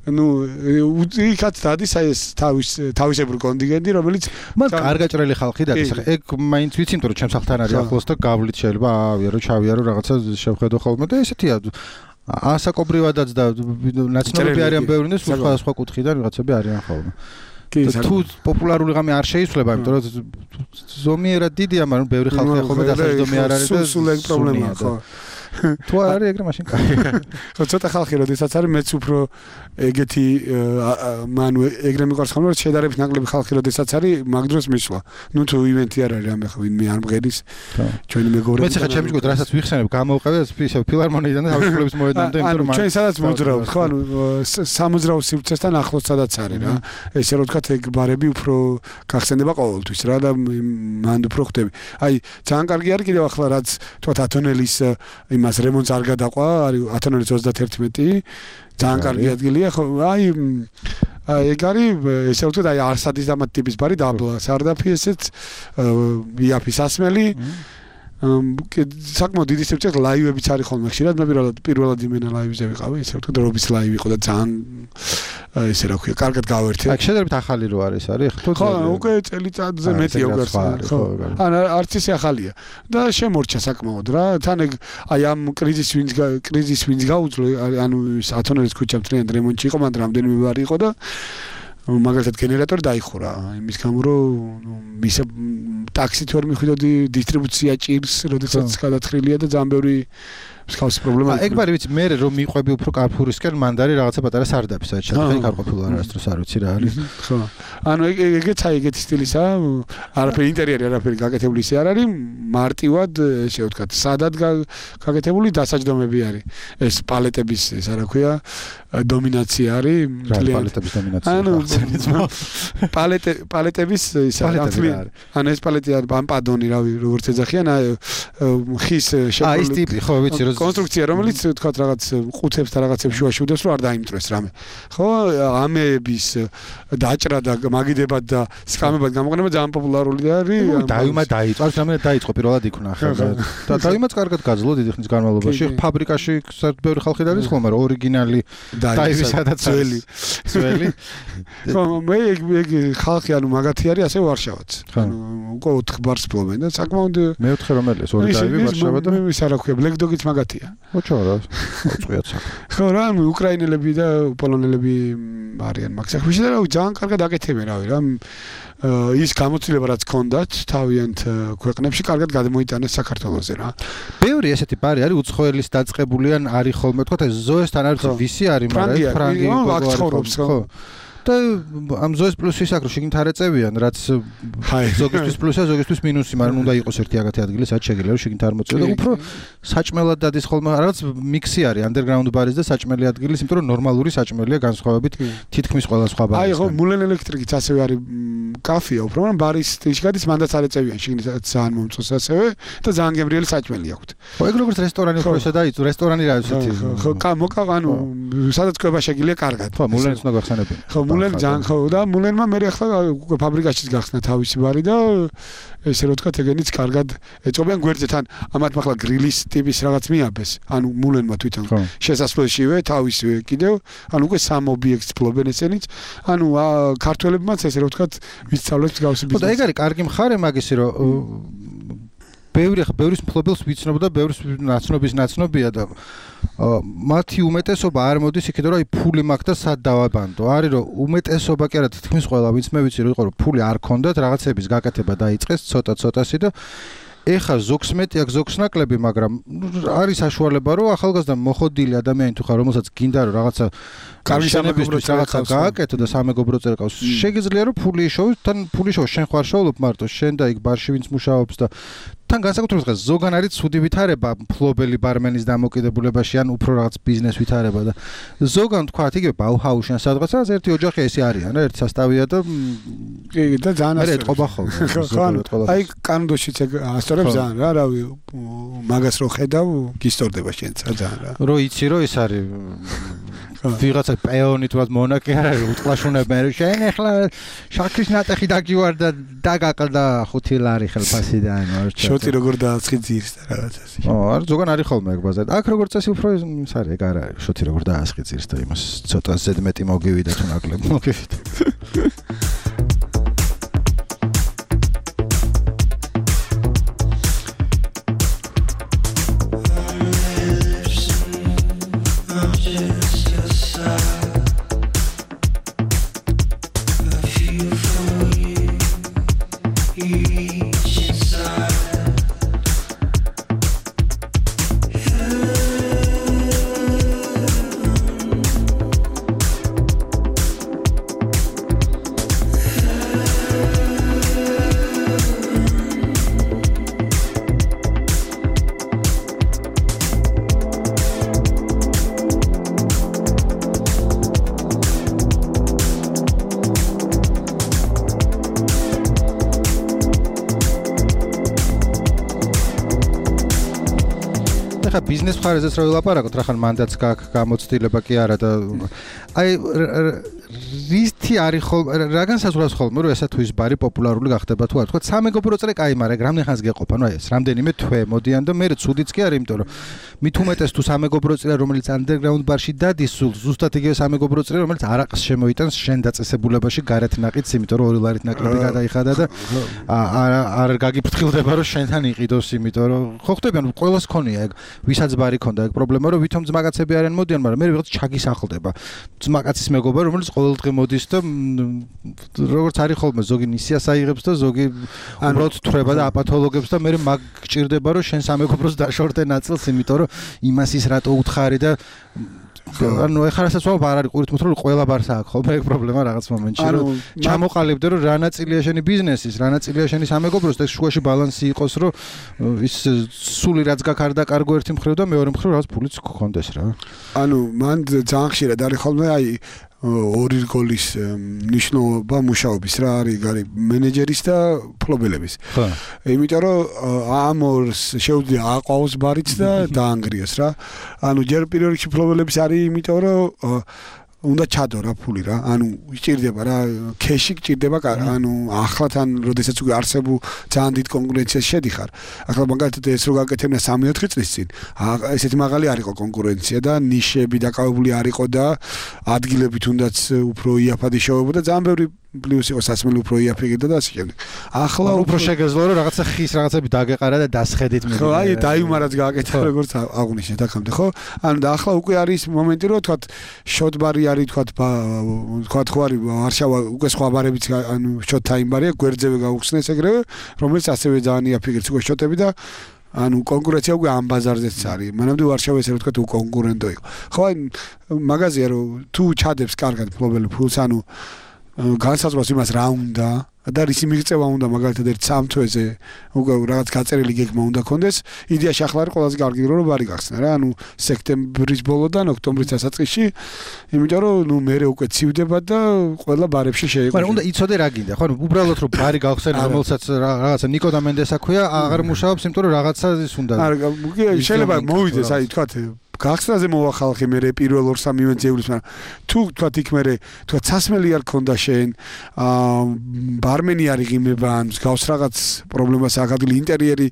ნუ იქაც დადის აი ეს თავისებური კონტინგენტი რომელიც მან კარგაჭრელი ხალხი დადის ახლა ეგ მაინც ვიცი იმიტომ რომ ჩემს ხალხთან არის ახლოს და გავლით შეიძლება ავიარო ჩავიარო რაღაცა შევხედო ხოლმე და ესეთი ასაკობრივადაც და ნაცნობები არიან ბევრი და სხვა კუთხიდან ვიღაცები არიან ხოლმე თუ პოპულარული ღამე არ შეიცვლება, იმიტომ რომ ზომიერად დიდია, მაგრამ ბევრი ხალხი ხოლმე დასაჯდომი არ არის და სულ ეგ პრობლემაა, ხო. თუ არ არის ეგრე მაშინ კაია. ხო, ცოტა ხალხი როდესაც არის მეც უფრო ეგეთი მანუ ეგრე მიყვარს ხოლმე რომ შედარებით ნაკლები ხალხი როდესაც არის მაგ დროს მისვლა. ნუ თუ ივენთი არ არის ამე ხო ვინმე არ მღერის ჩვენი მეგობრები. მეც ხა ჩემი ჯგუფ რასაც ვიხსენებ გამოვყევი ისე ფილარმონიიდან და თავისუფლების მოედნამდე იმიტომ რომ ჩვენ სადაც მოძრავთ ხო ანუ სამოძრავ სივრცესთან ახლოს სადაც არის რა. ესე რომ ვთქვათ ეგ ბარები უფრო გახსენდება ყოველთვის რა და მანდ უფრო ხდები. აი ძალიან კარგი არის კიდევ ახლა რაც თქვათ ათონელის იმას რემონტს არ გადაყვა არის ათონელის 31 ძალიან კარგი ადგილია ხო აი ეგ არის ესე ვთქვათ აი არსადის დამატ ტიპის ბარი დაბლა სარდაფი ესეც იაფის ასმელი საკმაოდ დიდი სივრცეში ლაივებიც არის ხოლმე ხშირად მე პირველად იმენა ლაივზე ვიყავი ესე ვთქვათ რობის ლაივი იყო და ძალიან ესე რა ქვია კარგად გავერთე აქ შედარებით ახალი რო არის ხო უკვე წელიწადზე მეტია უკვე ხო ან არც ისე ახალია და შემორჩა საკმაოდ რა თან ეგ აი ამ კრიზის ვინც გაუძლო ანუ ათონელის ქუჩა მთლიანად რემონტში იყო მანდ რამდენიმე ბარი იყო და მაგალითად გენერატორი დაიხურა იმის გამო რომ ისე ტაქსით ვერ მიხვიდოდი დისტრიბუცია ჭირს როდესაც გადათხრილია და ძალიან ბევრი მსგავსი პრობლემა ეგ ბარი ვიცი მე რომ მიყვები უფრო კარფურისკენ მანდ არის რაღაცა პატარა სარდაფი საერთოდ ხა არ ყოფილა არასდროს არ ვიცი რა არის ხო ანუ ეგეც აი ეგეთი სტილისა არაფერი ინტერიერი არაფერი გაკეთებული ისე არ არის მარტივად ესე ვთქვათ სადად გაკეთებული დასაჯდომები არის ეს პალეტების ეს რა ქვია დომინაცია არის პალეტების დომინაცია ანუ პალეტების ის ანუ ეს პალეტი არის პადონი რავი როგორც ეძახიან ხის აი ეს ტიპი ხო ვიცი კონსტრუქცია რომელიც თქვათ რაღაც ყუთებს და რაღაცებს შუაში უდევს რომ არ დაიმტრეს რამე ხო ამეების დაჭრა და მაგიდებად და სკამებად გამოყენება ძალიან პოპულარული არის დაიმა დაიწყოს რამე დაიწყო პირველად იქნა ხა და დაიმაც კარგად გაძლო დიდი ხნის განმავლობაში ფაბრიკაში ბევრი ხალხი არის ხოლმე რომ ორიგინალი დაივის სადაც ძველი ხო მე ეგ ხალხი ანუ მაგათი არის ასე ვარშავაც ანუ უკვე 4 ბარს ფლობენ და საკმაოდ მეოთხე რომელია ორი დაივი ვარშავა და ის არა ქვია ბლეკ დოგიც მაგათია ოჩო რა უწყიათ საკ ხო რა უკრაინელები და პოლონელები არიან მაგ საქმეში და ძალიან კარგად აკეთებენ რავი რა ის გამოცდილება რაც ჰქონდათ თავიანთ ქვეყნებში კარგად გადმოიტანეს საქართველოზე რა. ბევრი ესეთი ბარი არის უცხოელის დაწყებული ან არის ხოლმე თქვა ეს ზოესთან არის ვისი არის მაგრამ ფრანგი აქ ცხოვრობს ხო და ამ ზოეს პლუსი საკრო შეგინთ არ ეწევიან რაც ზოგისთვის პლუსია ზოგისთვის მინუსი მაგრამ უნდა იყოს ერთი აგათი ადგილი სადაც შეგიძლია რომ შეგინთ არ მოწევი და უფრო საჭმელად დადის ხოლმე რაღაც მიქსი არის underground ბარის და საჭმელი ადგილის იმიტომ რომ ნორმალური საჭმელია განსხვავებით თითქმის ყველა სხვა ბარისგან. აი ხო მულენ ელექტრიკიც ასევე არის კაფეა უფრო მაგრამ ბარის სტილში გადის მანდაც არ ეწევიან შეგინთ ძალიან მომწონს ასევე და ძალიან გემრიელი საჭმელი აქვს. ხო ეგ როგორც რესტორანი უფრო ესა დაიწო რესტორანი რა ისეთი ხო მოკავანუ სადაც ყובה შეგიძლია კარგად. ხო მულენს უნდა გახსენებინ. ხო მულენ ძალიან ხო და მულენმა მე ახლა უკვე ფაბრიკაშიც გახსნა თავისი ბარი და ესე რომ ვთქვათ ეგენიც კარგად ეწობიან გვერდზე თან ამათ ახლა გრილის ტიპის რაღაც მიაბეს ანუ მულენმა თვითონ შესასვლელშივე თავისივე კიდევ ანუ უკვე სამ ობიექტს ფლობენ ესენიც ანუ ქართველებმაც ესე რომ ვთქვათ ვისწავლეთ გავსი ბიზნესი. ხო და ეგ არის კარგი მხარე მაგისი რომ ბევრის მფლობელს ვიცნობ და ბევრის ნაცნობია და მათი უმეტესობა არ მოდის იქიდან რომ აი ფული მაქვს და სად დავაბანდო. არის რომ უმეტესობა კი არა თითქმის ყველა ვინც მე ვიცი რომ იყო რომ ფული არ ქონდათ რაღაცების გაკეთება დაიწყეს ცოტა-ცოტასი და ეხა ზოგს მეტი აქვს ზოგს ნაკლები, მაგრამ არის საშუალება რომ ახალგაზრდა მოხოდილი ადამიანი თუ ხარ რომელსაც გინდა რომ რაღაცა კარგი სამეგობრო რაღაცა გააკეთო და სამეგობრო წერა ყავს. შეგიძლია რომ ფული იშოვოს, თან ფული იშოვოს, შენ ხარ შოულობ მარტო, შენ და იქ ბარში ვინც მუშაობს და თან განსაკუთრებით დღეს ზოგან არის ცუდი ვითარება მფლობელი ბარმენის დამოკიდებულებაში ან უფრო რაღაც ბიზნეს ვითარება და ზოგან თქვა იგივე ბაუჰაუსში სადღაცა ერთი ოჯახი ესე არიან რა ერთი სასტავია და კი და ძალიან ასე ეთყობა ხოლმე. აი კანონშიც ასწორებს ძალიან რა რავი მაგას რო ხედავ გისტორდება შენც ძალიან რა. რო იცი რომ ეს არის ვიღაცა პეონი თუნდაც მონაკი არ არის უტყლაშუნებენ რომ შენ ახლა შაქრის ნატეხი დაგივარ და დაგაყდა 5 ლარი ხელფასიდან შოტი როგორ დააცხი ძირს და რაღაცას. არ ზოგან არის ხოლმე ეგ ბაზარი. აქ როგორ წესი უფრო ის არის ეგ არ არის შოტი როგორ დააცხი ძირს და იმას ცოტა ზედმეტი მოგივიდა თუ ნაკლები მოგივიდა. ბიზნეს მხარეზეც რა ვილაპარაკოთ, რახან მანდაც გაქვს გამოცდილება კი არა და აი რითი არის ხოლმე რა განსაზღვრავს ხოლმე რომ ესა თუ ის ბარი პოპულარული გახდება თუ არ თქვა სამეგობრო წრე კაი მაგრამ რამდენი ხანს გეყოფა ნუ აი ეს რამდენიმე თვე მოდიან და მე ცუდიც კი არის იმიტომ რომ მით უმეტეს თუ სამეგობრო წრე რომელიც underground ბარში დადის სულ ზუსტად იგივე სამეგობრო წრე რომელიც არაყს შემოიტანს შენ დაწესებულებაში გარეთ ნაყიდს იმიტომ რომ 2 ლარით ნაკლები გადაიხადა და არ გაგიფრთხილდება რომ შენთან იყიდოს იმიტომ რომ ხო ხტები ანუ ყველას ქონია ეგ ვისაც ბარი ქონდა ეგ პრობლემა რომ ვითომ ძმაკაცები არიან მოდიან მაგრამ მე ვიღაც ჩაგისახლდება ძმაკაცის მეგობარი რომელიც ყოველდღე მოდის და როგორც არის ხოლმე ზოგი ნისიას აიღებს და ზოგი უბრალოდ თვრება და აპათოლოგებს და მე მაგ გჭირდება რომ შენ სამეგობროს დაშორდე ნაწილს იმიტომ რომ იმას ის რატო უთხარი და ანუ ეხლა რასაც ვამბობ არ არის ყურით მოთხრა რომ ყველა ბარს აქვს ხოლმე ეგ პრობლემა რაღაც მომენტში რომ ჩამოყალიბდე რომ რა ნაწილია შენი ბიზნესის რა ნაწილია შენი სამეგობროს და შუაში ბალანსი იყოს რომ ის სული რაც გაქვს არ დაკარგო ერთი მხრივ და მეორე მხრივ რაღაც ფულიც გქონდეს რა ანუ მან ძალიან ხშირად არის ხოლმე აი ორი რგოლის ნიშნულობა მუშაობის რა არის მენეჯერის და ფლობელების. ხო. იმიტომ რომ ამ ორს შეუძლია აყვავს ბარიც და დაანგრიოს რა. ანუ ჯერ პირველ რიგში ფლობელების არის იმიტომ რომ უნდა ჩადო რა ფული რა. ანუ სჭირდება რა ქეში გჭირდება ანუ ახლათან როდესაც უკვე არსებულ ძალიან დიდ კონკურენციაში შედიხარ. ახლა მაგალითად ეს რო გაკეთებინა 3-4 წლის წინ ესეთი მაღალი არ იყო კონკურენცია და ნიშები დაკავებული არ იყო და ადგილები თუნდაც უფრო იაფადი შევებოდა ძალიან ბევრი პლუს იყო სასმელი უფრო იაფიგდა და ასე შემდეგ. ახლა უფრო შეგეძლო რომ რაღაცა ხის რაღაცები დაგეყარა და დასხედით მე. ხო, აი დაიუმარაც გააკეთა როგორც აღნიშნეთ აქამდე, ხო? ანუ და ახლა უკვე არის მომენტი რომ თქვა შოტბარი არის თქვა ხო არის ვარშავა უკვე სხვა ბარებიც ანუ შოტ ტაიმ ბარია გვერდზევე გაუხსნეს ეგრევე, რომელიც ასევე ძალიან იაფიგებს უკვე შოტები და ანუ კონკურენცია უკვე ამ ბაზარზეც არის. მანამდე ვარშავა ესე თქვა კონკურენტო იყო. ხო, აი მაღაზია რომ თუ ჩადებს კარგად ფლობელი ფულს ანუ განსაზღვრავს იმას რა უნდა და რისი მიღწევა უნდა მაგალითად ერთ 3 თვეზე უკვე რაღაც გაწერილი გეგმა უნდა კონდეს იდეაში ახლა არის ყველაზე კარგი დრო რომ ბარი გახსნა რა ანუ სექტემბრის ბოლოდან ოქტომბრის დასაწყისში იმიტომ რომ ნუ მე უკვე ცივდება და ყველა ბარებში შეიყო მაგრამ უნდა იცოდე რა გინდა ხო უბრალოდ რომ ბარი გავხსენე რომელსაც რაღაცა ნიკო და მენდესა ქვია აღარ მუშაობს იმიტომ რომ რაღაცა ის უნდა შეიძლება მოვიდეს აი თქვა გახსნაზე მოვახალხე მე პირველ 2-3 იმენძეულის მაგრამ თუ თქვა იქ მე თქვა სასმელი არ ქონდა შენ ბარმენი არ იღიმება ან გავს რაღაც პრობლემას აქ ადგილი ინტერიერი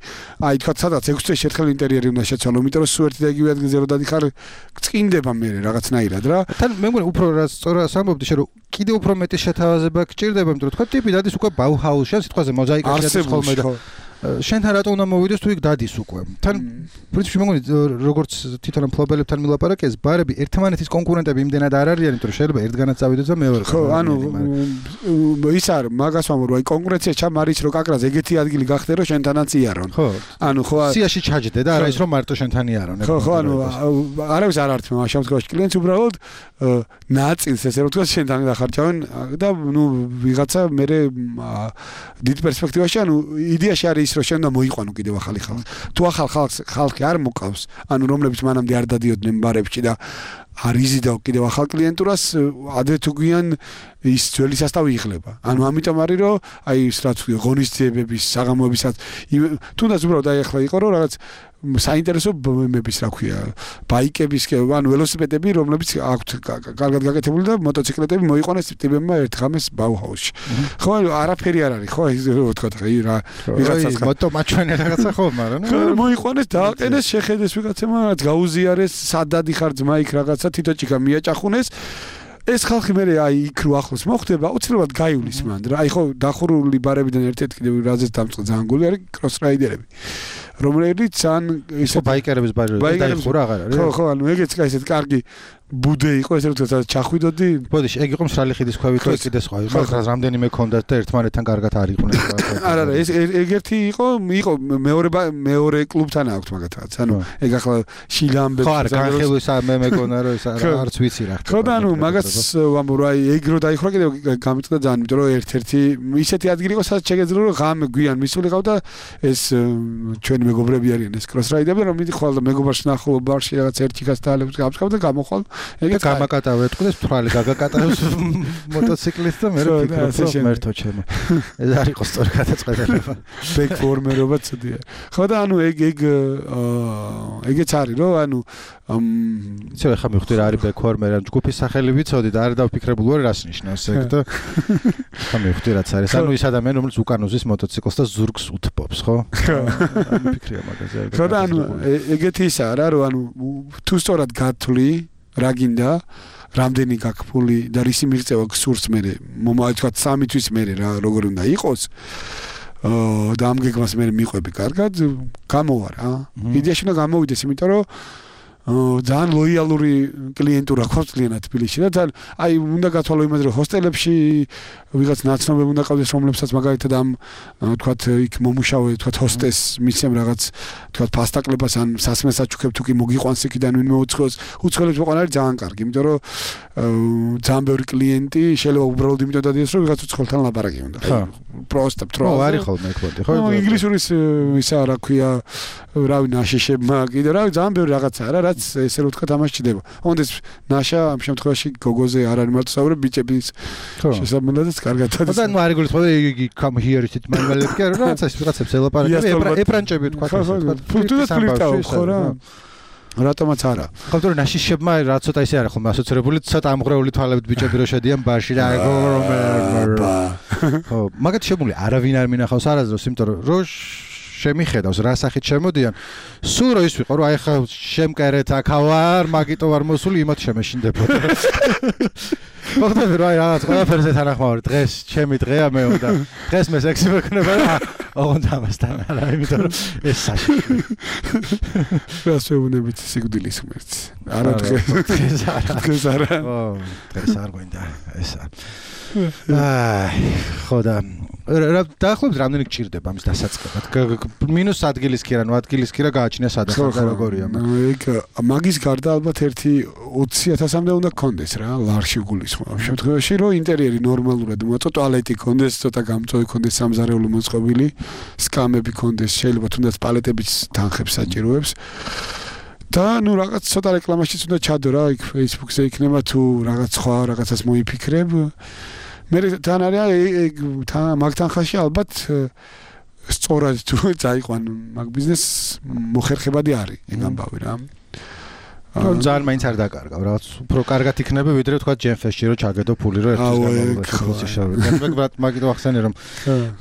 აი თქვა სადაც 6 წელი შეთხელ ინტერიერი უნდა შეცვალო იმიტომ რომ სულ ერთი და იგივე ადგილზე რომ დადიხარ წკინდება მე რაღაცნაირად რა თან მე მგონი უფრო რა სწორად სამბობდი შე რომ კიდე უფრო მეტი შეთავაზება გჭირდება იმიტომ რომ თქვა ტიპი დადის უკვე ბაუჰაუსში ან სიტყვაზე მოზაიკაში არის ხოლმე და შენთან რატო უნდა მოვიდეს თუ იქ დადის უკვე. თან პრინციპში მოგონი როგორც თვითონ მფლობელებთან მილაპარაკეს, ბარები ერთმანეთის კონკურენტები იმდენად არ არიან, იმიტომ რომ შეიძლება ერთგანაც წავიდეთ და მეორე. ხო, ანუ ის არ მაგას ვამბობ, აი კონკურენცია ჩამარის რო კაკრას ეგეთი ადგილი გახდე რომ შენთანაც იარონ. ხო. ანუ ხო სიაში ჩაჯდე და არა ის რომ მარტო შენთან იარონ. ხო, ანუ არავის არ ართმევ ამ შემთხვევაში კლიენტს უბრალოდ ნაწილს ესე რომ თქვა შენთან დახარჯავენ და ნუ ვიღაცა მე დიდ პერსპექტივაში ანუ იდეაში არის ის რომ შენ უნდა მოიყვანო კიდევ ახალი ხალხი. თუ ახალ ხალხი არ მოკავს, ანუ რომლებიც მანამდე არ დადიოდნენ ბარებში და არ იზიდავ კიდევ ახალ კლიენტურას, ადრე თუ გვიან ის ძველი სასტავი იხლება. ანუ ამიტომ არის რომ აი ის რაც ღონისძიებების, საღამოებისაც თუნდაც უბრალოდ აი ახლა იყო რომ რაღაც საინტერესო მემების რა ქვია, ბაიკების, ანუ ველოსიპედები, რომლებიც აქვთ კარგად გაკეთებული და მოტოციკლეტები მოიყვანეს ტიპებმა ერთ ღამეს ბაუჰაუსში. ხო, არაფერი არ არის, ხო, ის რო თქვა რა ვიღაცას მოტომაჩვენე რაღაცა ხო, მაგრამ მოიყვანეს, დააყენეს, შეხედეს ვიღაცებმა, რაც გაუზიარეს, სადადი ხარ ძმა იქ რაღაცა თითოჭიკა მიაჭახუნეს. ეს ხალხი მე აი იქ რო ახლოს მოხდება, უცებად გაივლის მან. აი ხო, დახურული ბარებიდან ერთ-ერთი კიდევ რაზეც დამწყე ძალიან გული არის კროს რაიდერები. რომელიც ან ისე ბაიკერების ბარი დაიხურა აღარ არის. ხო, ხო, ანუ ეგეც კაი ესეთ კარგი ბუდე იყო ესე რომ თქვა ჩახვიდოდი. ბოდიში, ეგ იყო მსრალი ხიდის ქვევით თუ კიდე სხვა. მაგრამ რამდენიმე ქონდათ და ერთმანეთთან კარგად არ იყვნენ. არა, არა, ეს ეგერთი იყო მეორე კლუბთან აქვს მაგათაც. ანუ ეგ ახლა შილამბე. ხო, განხილვის მე მეკონა რომ ეს არც ვიცი რა. ხო, და ანუ მაგას ვამბობ რა, ეგ რო დაიხურა კიდე გამიწდა ძალიან, იმიტომ რომ ერთ-ერთი ისეთი ადგილი იყო სადაც შეგეძლო რომ ღამე გვიან მისულიყავ და ეს ჩვენი მეგობრები არიან ეს კროს რაიდერები, რომ მიდიხვალ და მეგობარს ნახულობ ბარში რაღაც ერთიქას დაალებს გამსკავ და გამოხვალ. ეგ გამაკატავე თქოს თვალი გაგაკატავს მოტოციკლისტს და მე ფიქრობ მერთო ჩემო. ეს არ იყო სწორი გადაწყვეტილება. ბექ ფორმერობა ცუდია. ხო და ანუ ეგეც არის რომ ანუ ისე ხა მივხვდი რა არის ბექ ფორმერი, ანუ ჯგუფის სახელი ვიცოდი და არ დავფიქრებული ვარ რას ნიშნავს ეგ და ხა მივხვდი რაც არის. ანუ ის ადამიანი რომელიც უკან უზის მოტოციკლს და ზურგს უთბობს, ხო? ანუ ფიქრია მაგაზე. ხო და ანუ ეგეთი ისაა რა, რომ ანუ თუ სწორად გათვლი რა გინდა, რამდენი გაქფული და რისი მიღწევა გსურს მე, თქვა 3 თვის მე რა როგორ უნდა იყოს. და ამ გეგმას მე მიყვები კარგად, გამოვა რა. იდეაში უნდა გამოვიდეს, იმიტომ რომ ძალიან ლოიალური კლიენტურა გვაქვს კლიენტად თბილისში და ძალიან აი უნდა გათვალო იმაზე რომ ჰოსტელებში ვიღაც ნაცნობები უნდა ყავდეს რომლებსაც მაგალითად ამ თქვათ იქ მომუშავე თქვათ ჰოსტეს მისცემ რაღაც თქვათ ფასტაკლებას ან სასმელს აჩუქებ თუ კი მოგიყვანს იქიდან ვინმე უცხოელს მოყვან არის ძალიან კარგი იმიტომ რომ ძალიან ბევრი კლიენტი შეიძლება უბრალოდ იმიტომ დადიოს რომ ვიღაც უცხოელთან ლაპარაკი უნდა პროსტა პრო არის ხოლმე ეკვოდი ხო ინგლისურის ისა რა ქვია რავი ნაშიშებმა კიდე რავი ძალიან ბევრი რაღაცაა რა რაც ესე რომ თქვა თამაშდება. Онდეს ნაშა ამ შემთხვევაში გოგოზე არ არის მარტო საუბრები ბიჭების შესაბამისად კარგად არის. და ნუ არ იგულისხმება იგი come here ისეთ მანმელებს კი არა რაღაცას ვიღაცებს ელაპარაკები ებრანჭები თქვა ფუტუნას ფლირტავ ხო რა. რატომაც არა. ხომ თორე ნაშიშებმა რა ცოტა ისე არა ხოლმე ასოცირებული ცოტა ამღრეული თვალებით ბიჭები რო შედიან ბარში და ხო მაგათ შემული არავინ არ მინახავს არასდროს იმიტომ რომ შემიხედავს რა სახით შემოდიან სულ რო ის ვიყო რომ აი ხა შემკერეთ აქავარ მაგიტო ვარ მოსული იმათ შემეშინდებოდა მოხდება რომ აი რაღაც ყველაფერზე თანახმოვარ დღეს ჩემი დღეა მე უნდა დღეს მე სექსი მეკნება და ოღონდ ამასთან არა იმიტომ რომ ეს საში რა შეუნებით სიკვდილის ღმერთს არა დღეს არა ო დღეს არ გვინდა ეს აი ხოდა დაახლოებით რამდენი გჭირდება ამის დასაწყებად მინუს ადგილის კი რა ნუ ადგილის კი რა გააჩნია სადაც როგორია ეგ მაგის გარდა ალბათ ერთი 20,000-მდე უნდა გქონდეს რა ლარში გულისხმობ ამ შემთხვევაში რომ ინტერიერი ნორმალურად მოწო ტუალეტი გქონდეს ცოტა გამწვევი გქონდეს სამზარეულო მოწყობილი სკამები გქონდეს შეიძლება თუნდაც პალეტებიც თანხებს საჭიროებს და ნუ რაღაც ცოტა რეკლამაშიც უნდა ჩადო რა იქ Facebook-ზე იქნება თუ რაღაც სხვა რაღაცას მოიფიქრებ მე თან არის მაგთან ხაში ალბათ სწორად თუ წაიყვან მაგ ბიზნესს მოხერხებადი არის ეგ ამბავი რა ძალიან მაინც არ დაკარგავ რაღაც უფრო კარგად იქნება ვიდრე თქვა ჯენფესში რომ ჩაგედო ფული რომ ერთის გამოვიდა მაგით ვახსენე რომ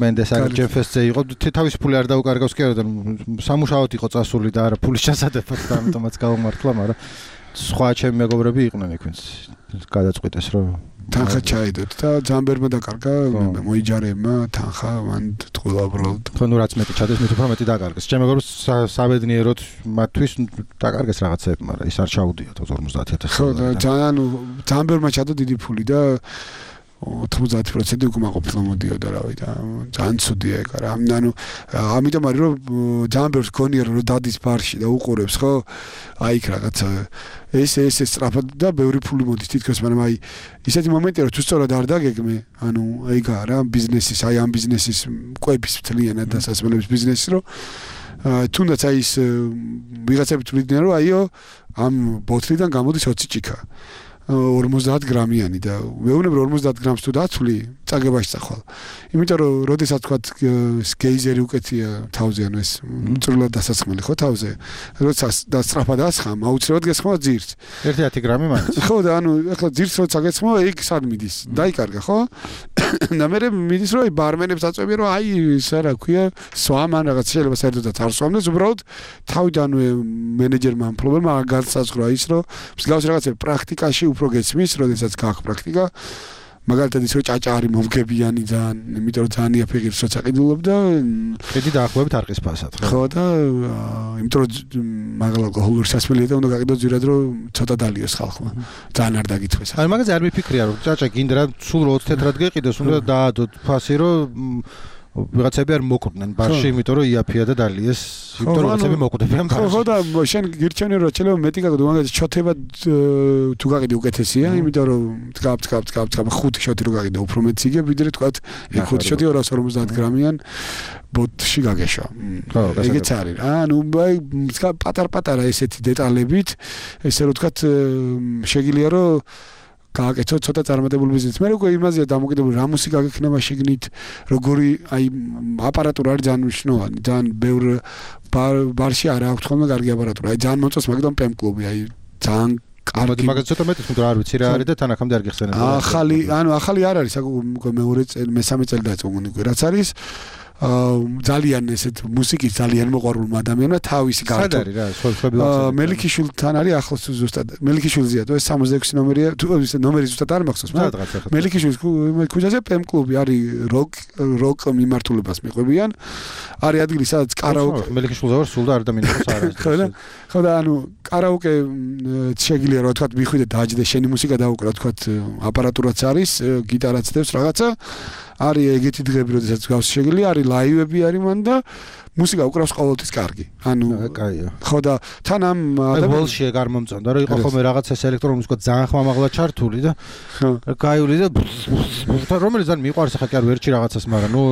მენდეს აგ ჯენფესზე იყო თავის ფული არ დაუკარგავს კი არა და სამუშაოდ იყო წასული და არა ფულის ჩასადებად და ამიტომაც გავამართლა მაგრამ სხვა ჩემი მეგობრები იყვნენ იქ ვინც გადაწყვიტეს რომ თანხა ჩაედოთ და ძამბერმა დაკარგა მოიჯარებმა თანხა მან თქვა უბრალოდ ხო რაც მეტი ჩადეს მით უფრო მეტი დაკარგეს ჩემ მეგობრებს საბედნიეროდ მათთვის დაკარგეს რაღაცები მაგრამ ის არ ჩაუდიათ 50000 ხო და ძამბერმა ჩადო დიდი ფული და 90% უკმაყოფილო მოდიოდა რავი და ძალიან ცუდია ეგ რა ანუ ამიტომ არის რომ ძალიან ბევრს გონია რომ დადის ბარში და უყურებს ხო აი იქ რაღაცა ეს სწრაფად და ბევრი ფული მოდის თითქოს მაგრამ აი ისეთი მომენტია რომ თუ სწორად არ დაგეგმე ანუ ეგაა რა ბიზნესის აი ამ ბიზნესის კვების მთლიანად დასასრულების ბიზნესი რომ თუნდაც აი ის ვიღაცები თვლიდნენ რომ აიო ამ ბოთლიდან გამოდის 20 ჭიქა 50 გრამიანი და მეუბნები 50 გრამს თუ დაცვლი წაგებაში წახვალ. იმიტომ რომ როდესაც თქვა გეიზერი უკეთია თავზე ანუ ეს წვრილად დასაცხმელი ხო თავზე. როდესაც და სწრაფად ასხამ აუცილებლად გესხმა ძირს. 1 გრამი მაინც. ხო და ანუ ახლა ძირს როცა გესხმა იქ სად მიდის? დაიკარგა ხო? და მე მიდის რომ აი ბარმენებს აწვევია რომ აი ისა რა ქვია სვამან რაღაც შეიძლება საერთოდაც არ სვამდეს უბრალოდ თავიდანვე მენეჯერმა ამ პრობლემა განსაზღვრა ის რომ მსგავს რაღაცები პრაქტიკაში უფრო გესმის, როდესაც გაქვს პრაქტიკა. მაგალითად ის რომ ჭაჭა არის მომგებიანი ძალიან, იმიტომ რომ ძალიან იაფიღებს როცა ყიდულობ და ედი დაახლოებით არ ყის ფასად. ხო და იმიტომ რომ მაგალითად ალკოჰოლური სასმელია და უნდა გაყიდო ძირად რომ ცოტა დალიოს ხალხმა. ძალიან არ დაგითქვეს. აი მაგაზე არ მიფიქრია რომ ჭაჭა გინდა რა სულ 20 თეთრად გეყიდოს, უნდა დაადოთ ფასი რომ ვიღაცები არ მოკვდნენ ბარში, იმიტომ რომ იაფია და დალიეს, იმიტომ რომ ვიღაცები მოკვდებიან ბარში. ხო და შენ გირჩევენ რომ შეიძლება მეტი გაგდო, მაგალითად შოთება თუ გაყიდე უკეთესია, იმიტომ რომ დგაბ 5 შოთი რო გაყიდე უფრო მეტი იგებ, ვიდრე თქვა 5 შოთი 250 გრამიან ბოთში გაგეშვა. ეგეც არის რა. ანუ პატარ-პატარა ესეთი დეტალებით, ესე რომ თქვა შეგიძლია რომ გააკეთო ცოტა წარმატებული ბიზნესი. მე როგორ იმაზეა დამოკიდებული რა მუსიკა გექნება შეგნით, როგორი აი აპარატურა არის ძალიან მნიშვნელოვანი. ძალიან ბევრ ბარში არ აქვს ხოლმე კარგი აპარატურა. აი ძალიან მოწონს მაგდან პემ კლუბი, აი ძალიან კარგი. მაგაც ცოტა მეტი თქო არ ვიცი რა არის და თანახამდე არ გიხსენებ. ახალი არ არის, მეორე წელი, მესამე წელი დაიწყო მგონი, რაც არის ძალიან ესეთ მუსიკის ძალიან მოყვარულმა ადამიანმა თავისი გარტო. სად არის რა, სხვები მელიქიშვილთან არის ახლოს ზუსტად. მელიქიშვილზეა თუ ეს 66 ნომერია, თუ ეს ნომერი ზუსტად არ მახსოვს. მელიქიშვილის ქუჩაზე პემ კლუბი არის როკ მიმართულებას მიყვებიან. არის ადგილი სადაც კარაოკე. მელიქიშვილზე ვარ სულ და არ დამინახავს არ არის. ხო და ანუ კარაოკე შეგიძლია რა თქვა მიხვიდე დააჯდე შენი მუსიკა დაუკრა თქვა აპარატურაც არის, გიტარაც დევს რაღაცა. არის ეგეთი დღეები, როდესაც გავს შეგიძლია, არის ლაივები არის მან და მუსიკა უკრავს ყოველთვის კარგი. ანუ კაია. ხო და თან ამ ბოლში ეგ არ მომწონდა, რომ იყო ხოლმე რაღაცა ელექტრონული მუსიკა ძალიან ხმამაღლა ჩართული და გაიული და რომელიც ძალიან მიყვარს ახლა კი არ ვერჩი რაღაცას, მაგრამ ნუ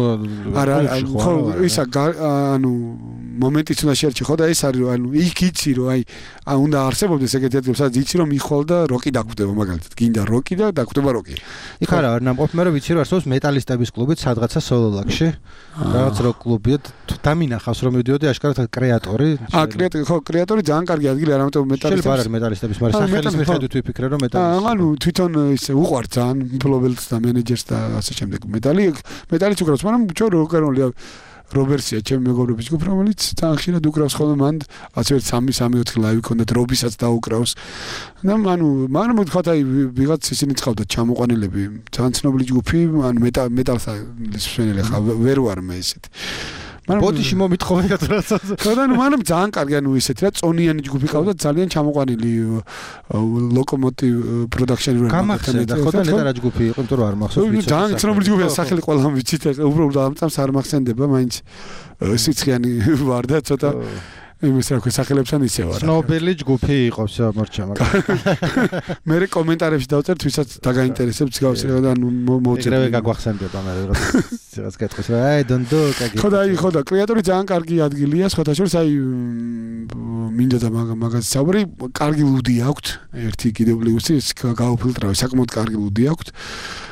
არა ხო ისა ანუ მომენტიც უნდა შეერჩი ხო და ეს არის რომ ანუ იქ იცი რომ აი უნდა არსებობდეს ეგეთი ადგილი, სადაც იცი რომ მიხვალ და როკი დაგვდება მაგალითად. გინდა როკი და დაგვდება როკი. იქ არა არ ნამყოფ მე რომ ვიცი რომ არსებობს მეტალისტების კლუბი სადღაცა სოლოლაკში. რაღაც როკ კლუბია დამინახავს რომ მივიდიოდი აშკარად კრეატორი. კრეატორი ხო კრეატორი ძალიან კარგი ადგილი არამედ მეტალისტების. შეიძლება არ არის მეტალისტების, მაგრამ სახელის მიხედვით ვიფიქრე რომ მეტალისტები. ანუ თვითონ ისე უყვართ ძალიან მფლობელს და მენეჯერს და ასე შემდეგ. მეტალიც უკრავს, მაგრამ ჩვენ როკ-ენ-როლია რობერსია ჩემი მეგობრების ჯგუფი რომელიც ძალიან ხშირად უკრავს ხოლმე მან 3-4 ლაივი ქონდათ რობისაც დაუკრავს და მაგრამ თქვა აი ვიღაც ისინი წავდა ჩამოყვანილები ძალიან ცნობილი ჯგუფი ანუ მეტალს მსვენელი ხა ვერ ვარ მე ესეთი ბოდიში მომითხოვე რაცა ხო და მაგრამ ძალიან კარგი ანუ ისეთი რა წონიანი ჯგუფი ყავდა ძალიან ჩამოყვანილი ლოკომოტივ პროდაქშენი რო გამახსენდა ხო და ნეტარა ჯგუფი იყო იმიტომ რომ არ მახსოვს ვიცი ძალიან ცნობილი ჯგუფია სახელი ყველამ ვიცით უბრალოდ ამწამს არ მახსენდება მაინც სიცხიანი ვარ და ცოტა იმის რა ქვია სახელებთან ისე ვარ. ცნობილი ჯგუფი იყო შემორჩა მაგრამ მე კომენტარებში დავწერთ ვისაც დაგაინტერესებს გავსი და მოუწევ. ეგრევე გაგვახსენდება მე რაღაც კითხვის რა აი დონდო კაგი. ხო და კრეატორი ძალიან კარგი ადგილია სხვათა შორის აი მინდა და მაგას საუბარი კარგი ლუდი აქვთ ერთი კიდევ პლუსი გაუფილტრავე საკმაოდ კარგი ლუდი აქვთ.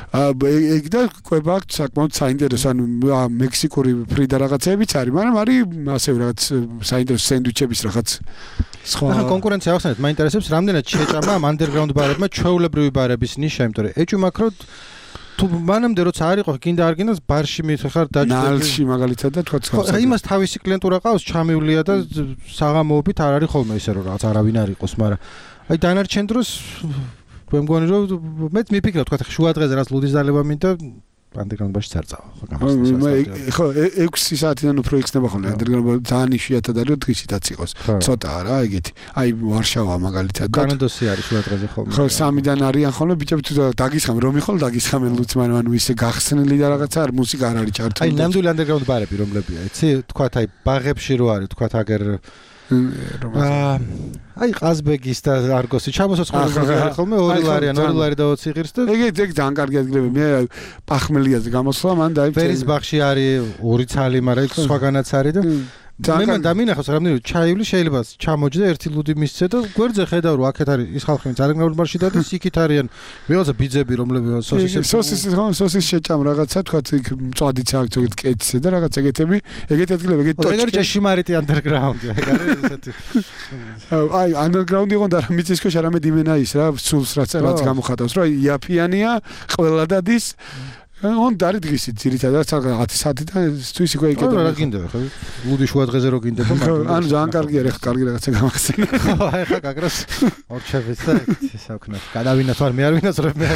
ეგ და კვება აქვთ საკმაოდ საინტერესო ანუ მექსიკური ფრიდა რაღაცებიც არის მაგრამ არის ასევე რაღაც საინტერესო სენდვიჩების რაღაც სხვა ახლა კონკურენცია ახსენეთ მაინტერესებს რამდენად შეჭამა ამ underground ბარებმა ჩვეულებრივი ბარების ნიშა იმიტომ რომ ეჭვი მაქრო თუ მანამდე როცა არ იყო გინდა არ გინდა ბარში მიხარ დაჭდები ნალში მაგალითად და თქვა ხო იმას თავისი კლიენტურა ყავს ჩამივლია და საღამოობით არ არის ხოლმე ისე რომ რაღაც არავინ არ იყოს მაგრამ აი დანარჩენ დროს მე მგონი რომ მეც მიფიქრე თქვა შუა დღეზე რაც ლუდის დალება მინდა underground-ბაში წარწავა ხო 6 საათიდან უფრო იხსნება ხოლმე underground ძალიან იშვიათად არის რომ დღისითაც იყოს ცოტაა რა ეგეთი აი ვარშავა მაგალითად კანადოსი არის შუა დღეზე ხოლმე ხო 3-დან არიან ხოლმე ბიჭები თუ დაგისხამენ რომ იხოლ დაგისხამენ ლუცმან ანუ ისე გახსნილი და რაღაცა არ მუსიკა არ არის ჩართული აი ნამდვილი underground ბარები რომლებია იცი თქვა აი ბაღებში რო არის თქვა აგერ აი ყაზბეგის და არგოსი ჩამოსოწყლები არის ხოლმე 2 ლარი და 20 ღირს და ეგ ძალიან კარგი ადგილები მე პახმელიაზე გამოსვლა მან დაიწე ფერის ბაღში არის 2 ცალი მაგრამ იქ სხვაგანაც არის და მე დამინახავს რამდენი ჩაივლი შეიძლება ჩამოჯდა ერთი ლუდი მისცე და გვერდზე ხედავ რომ აქეთ არის ის ხალხი ძალიან მარში და ისიქით არიან ვიღაცა ბიძები რომლებია სოსის შეჭამ რაღაცა თქვა იქ მწვადიც აქვს ზოგადად კეთისე და რაღაც ეგეთები ეგეთი ადგილები ეგეთი ტოჩკი ეგ არის ჭეშმარიტი underground ეგ არის ესეთი აი underground იყო და მიწის ქვეშ არამედ იმენა ის რა სულს რაც გამოხატავს რომ იაფიანია ყველა დადის on დარი დღისით ძირითადად რაღაც საათიდან თვისი უკვე იკეთებ. რა გინდა ხო? ლუდი შუა დღეზე რო გინდა და ანუ ძალიან კარგია რა კარგი რაღაცა გამახსენე. ხო აი ხა გაგროს ორჩევიც და ისაკნა. გადავინათ ვარ მე არ ვინაცრებ მე.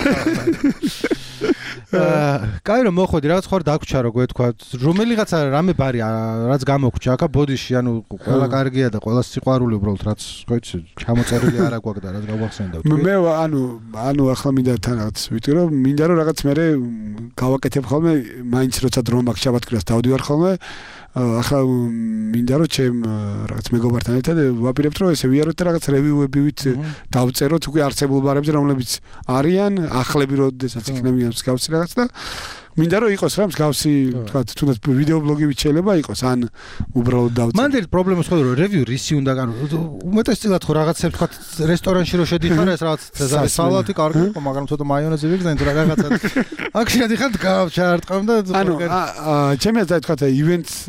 კაი რომ მოხვედი რაღაც ხარ დაგვრჩა რო გვეთქვა რომელიღაცა რამე ბარი რაც გამოგვრჩა აქა ბოდიში ანუ ყველა კარგია და ყველა სიყვარული უბრალოდ რაც ხო იცი ჩამოწერილი არა გვაქვს და რაც გავახსენდა მე ანუ ახლა მინდა თან რაღაც ვიტყვი რომ მინდა რომ რაღაც მე გავაკეთებ ხოლმე მაინც როცა დრო მაქვს შაბათქვირას დავდივარ ხოლმე ახლა მინდა რომ ჩემ რაღაც მეგობართან ერთად ვაპირებთ რომ ესე ვიაროთ და რაღაც რევიუებივით დავწეროთ უკვე არსებულ ბარებზე რომლებიც არიან ახლები როდესაც იქნებიან მსგავსი რაღაც და მინდა რომ იყოს რა მსგავსი თქვა თუნდაც ვიდეო ბლოგივით შეიძლება იყოს ან უბრალოდ დავწერო მანდ პრობლემა სხვა რომ რევიუ რისი უნდა განო უმეტესწილად ხო რაღაცებს თქვა რესტორანში რო შედიხარ ეს რაღაც ცეზარი სალატი კარგი იყო მაგრამ ცოტა მაიონეზი ვიგზენ თუ რაღაცა აქ შედიხარ ჩაარტყამ და ანუ ჩემი აზრით თქვა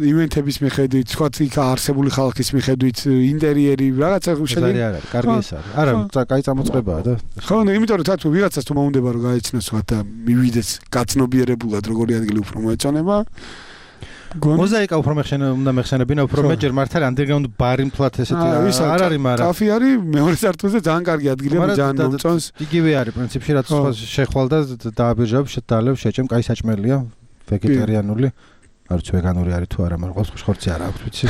ივენთების მიხედვით თქვა იქ არსებული ხალხის მიხედვით ინტერიერი რაღაცა შედიხარ არა კარგი ეს არის არა კაი წამოწყებაა და ხო იმიტომ რომ თათო ვიღაცას თუ მოუნდება რომ გაეცნოს სხვა და მივიდეს გაცნობიერებულ როგორი ადგილი უფრო მოეწონება მოზაიკა უფრო უნდა მეხსენებინა უფრო მეჯერ მართალი underground ბარი მთლად ესეთი არ არის მაგრამ კაფე არის მეორე სართულზე ძალიან კარგი ადგილია ძალიან მომწონს იგივე არის პრინციპში რაც შეხვალ და დააბირჟავ შედალებ შეჭემ კაი საჭმელია ვეგეტარიანული არც ვეგანური არის თუ არა მაგრამ ყოველთვის ხორცი არ აქვს ვიცი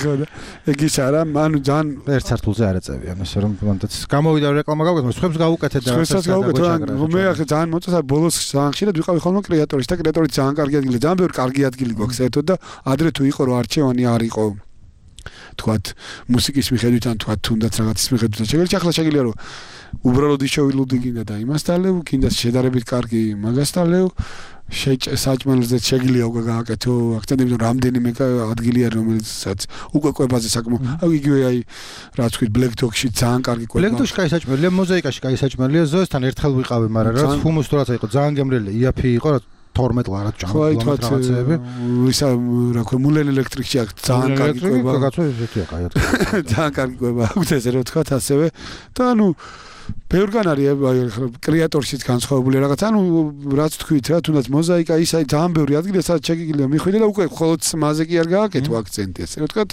ხო და ეგ ის არა ანუ ძალიან ერთ სართულზე არ ეწევიან ასე რომ მანდაც გამოვიდა რეკლამა გავუკეთე სხვებს გავუკეთე და სხვებსაც გავუკეთე მე ახლა ძალიან მოწონს ბოლოს ძალიან ხშირად ვიყავი ხოლმე კრეატორის და კრეატორი ძალიან კარგი ადგილია ძალიან ბევრი კარგი ადგილი გვაქვს ერთად და ადრე თუ იყო რომ არჩევანი არ იყო თქვათ მუსიკის მიხედვით ან თქვათ თუნდაც რაღაცის მიხედვით შეგიძლია ახლა შეგიძლია რომ უბრალოდ ისჩოვილუდი გინდა და იმას დალევ გინდა შედარებით კარგი მაგას დალევ საჭმელზე შეგიძლია უკვე გააკეთო აქცენტები რომ რამდენიმე ადგილი არის რომელსაც უკვე კვებაზე საკმაოდ აი იგივე აი რაც ვთქვით Black Dog-ში ძალიან კარგი კვება Black Dog-ში კაი საჭმელია მოზაიკაში კაი საჭმელია ზოესთან ერთხელ ვიყავი მაგრამ რაც ჰუმუს თუ რაცა იყო ძალიან გემრიელი იაფი იყო რა 12 ლარად ჭამდა რაღაცეები ისა რა ქვია მულენ ელექტრიკში აქ ძალიან კარგი კვება კაცო ესეთია კაიად ძალიან კარგი კვება აქვს ესე რომ თქვა ასევე და ანუ ბევრგან არის კრეატორშიც განსხვავებული რაღაც ანუ რაც თქვით რა თუნდაც მოზაიკა ის აი ძალიან ბევრი ადგილია სადაც შეგიძლია მიხვიდე და უკვე მხოლოდ მასზე კი არ გააკეთო აქცენტი ესე რომ თქვა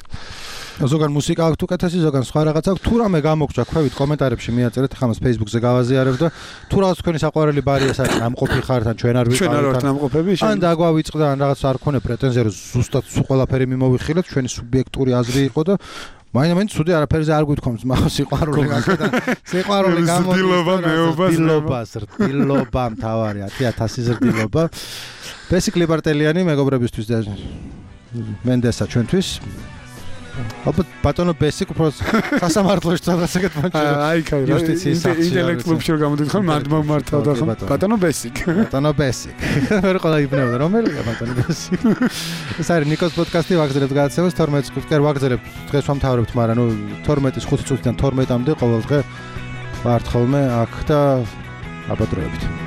ზოგან მუსიკა აქვს უკეთესი ზოგან სხვა რაღაც აქვს თუ რამე გამოგჭა ქვევით კომენტარებში მიაწერეთ ხა მას Facebook-ზე გავაზიარებ და თუ რაღაც თქვენი საყვარელი ბარია საერთოდ ამყოფი ხართ ან ჩვენ არ ვიყავით ამყოფები ან დაგვავიწყდა ან რაღაც არ ქონე პრეტენზია რომ ზუსტად ყველაფერი მიმოვიხილეთ ჩვენი სუბიექტური აზრი იყო და მაინც ცუდი არაფერზე არ გვითხოვს მაგას სიყვარული გაკეთა სიყვარული გამოდის ზრდილობა მთავარია 1000 ზრდილობა ბესიკ ლიბარტელიანი მეგობრებისთვის და მენდესა ჩვენთვის ალბათ ბატონო ბესიკ უფრო სასამართლოში რაღაცა გეთმოჭრა აი კაი იუსტიციის სახში ინტელექტ კლუბში გამოდით ხომ მართავდა ხომ ბატონო ბესიკ ვერ ყველა იბნევდა რომელია ბატონო ბესიკ ეს არის ნიკოს პოდკასტი ვაგზელებთ გადაცემას 12 წუთი კი არ ვაგზელებთ დღეს ვამთავრებთ მაგრამ ნუ 12-ის 5 წუთიდან 12-მდე ყოველ დღე ვართ ხოლმე აქ და აბადროებით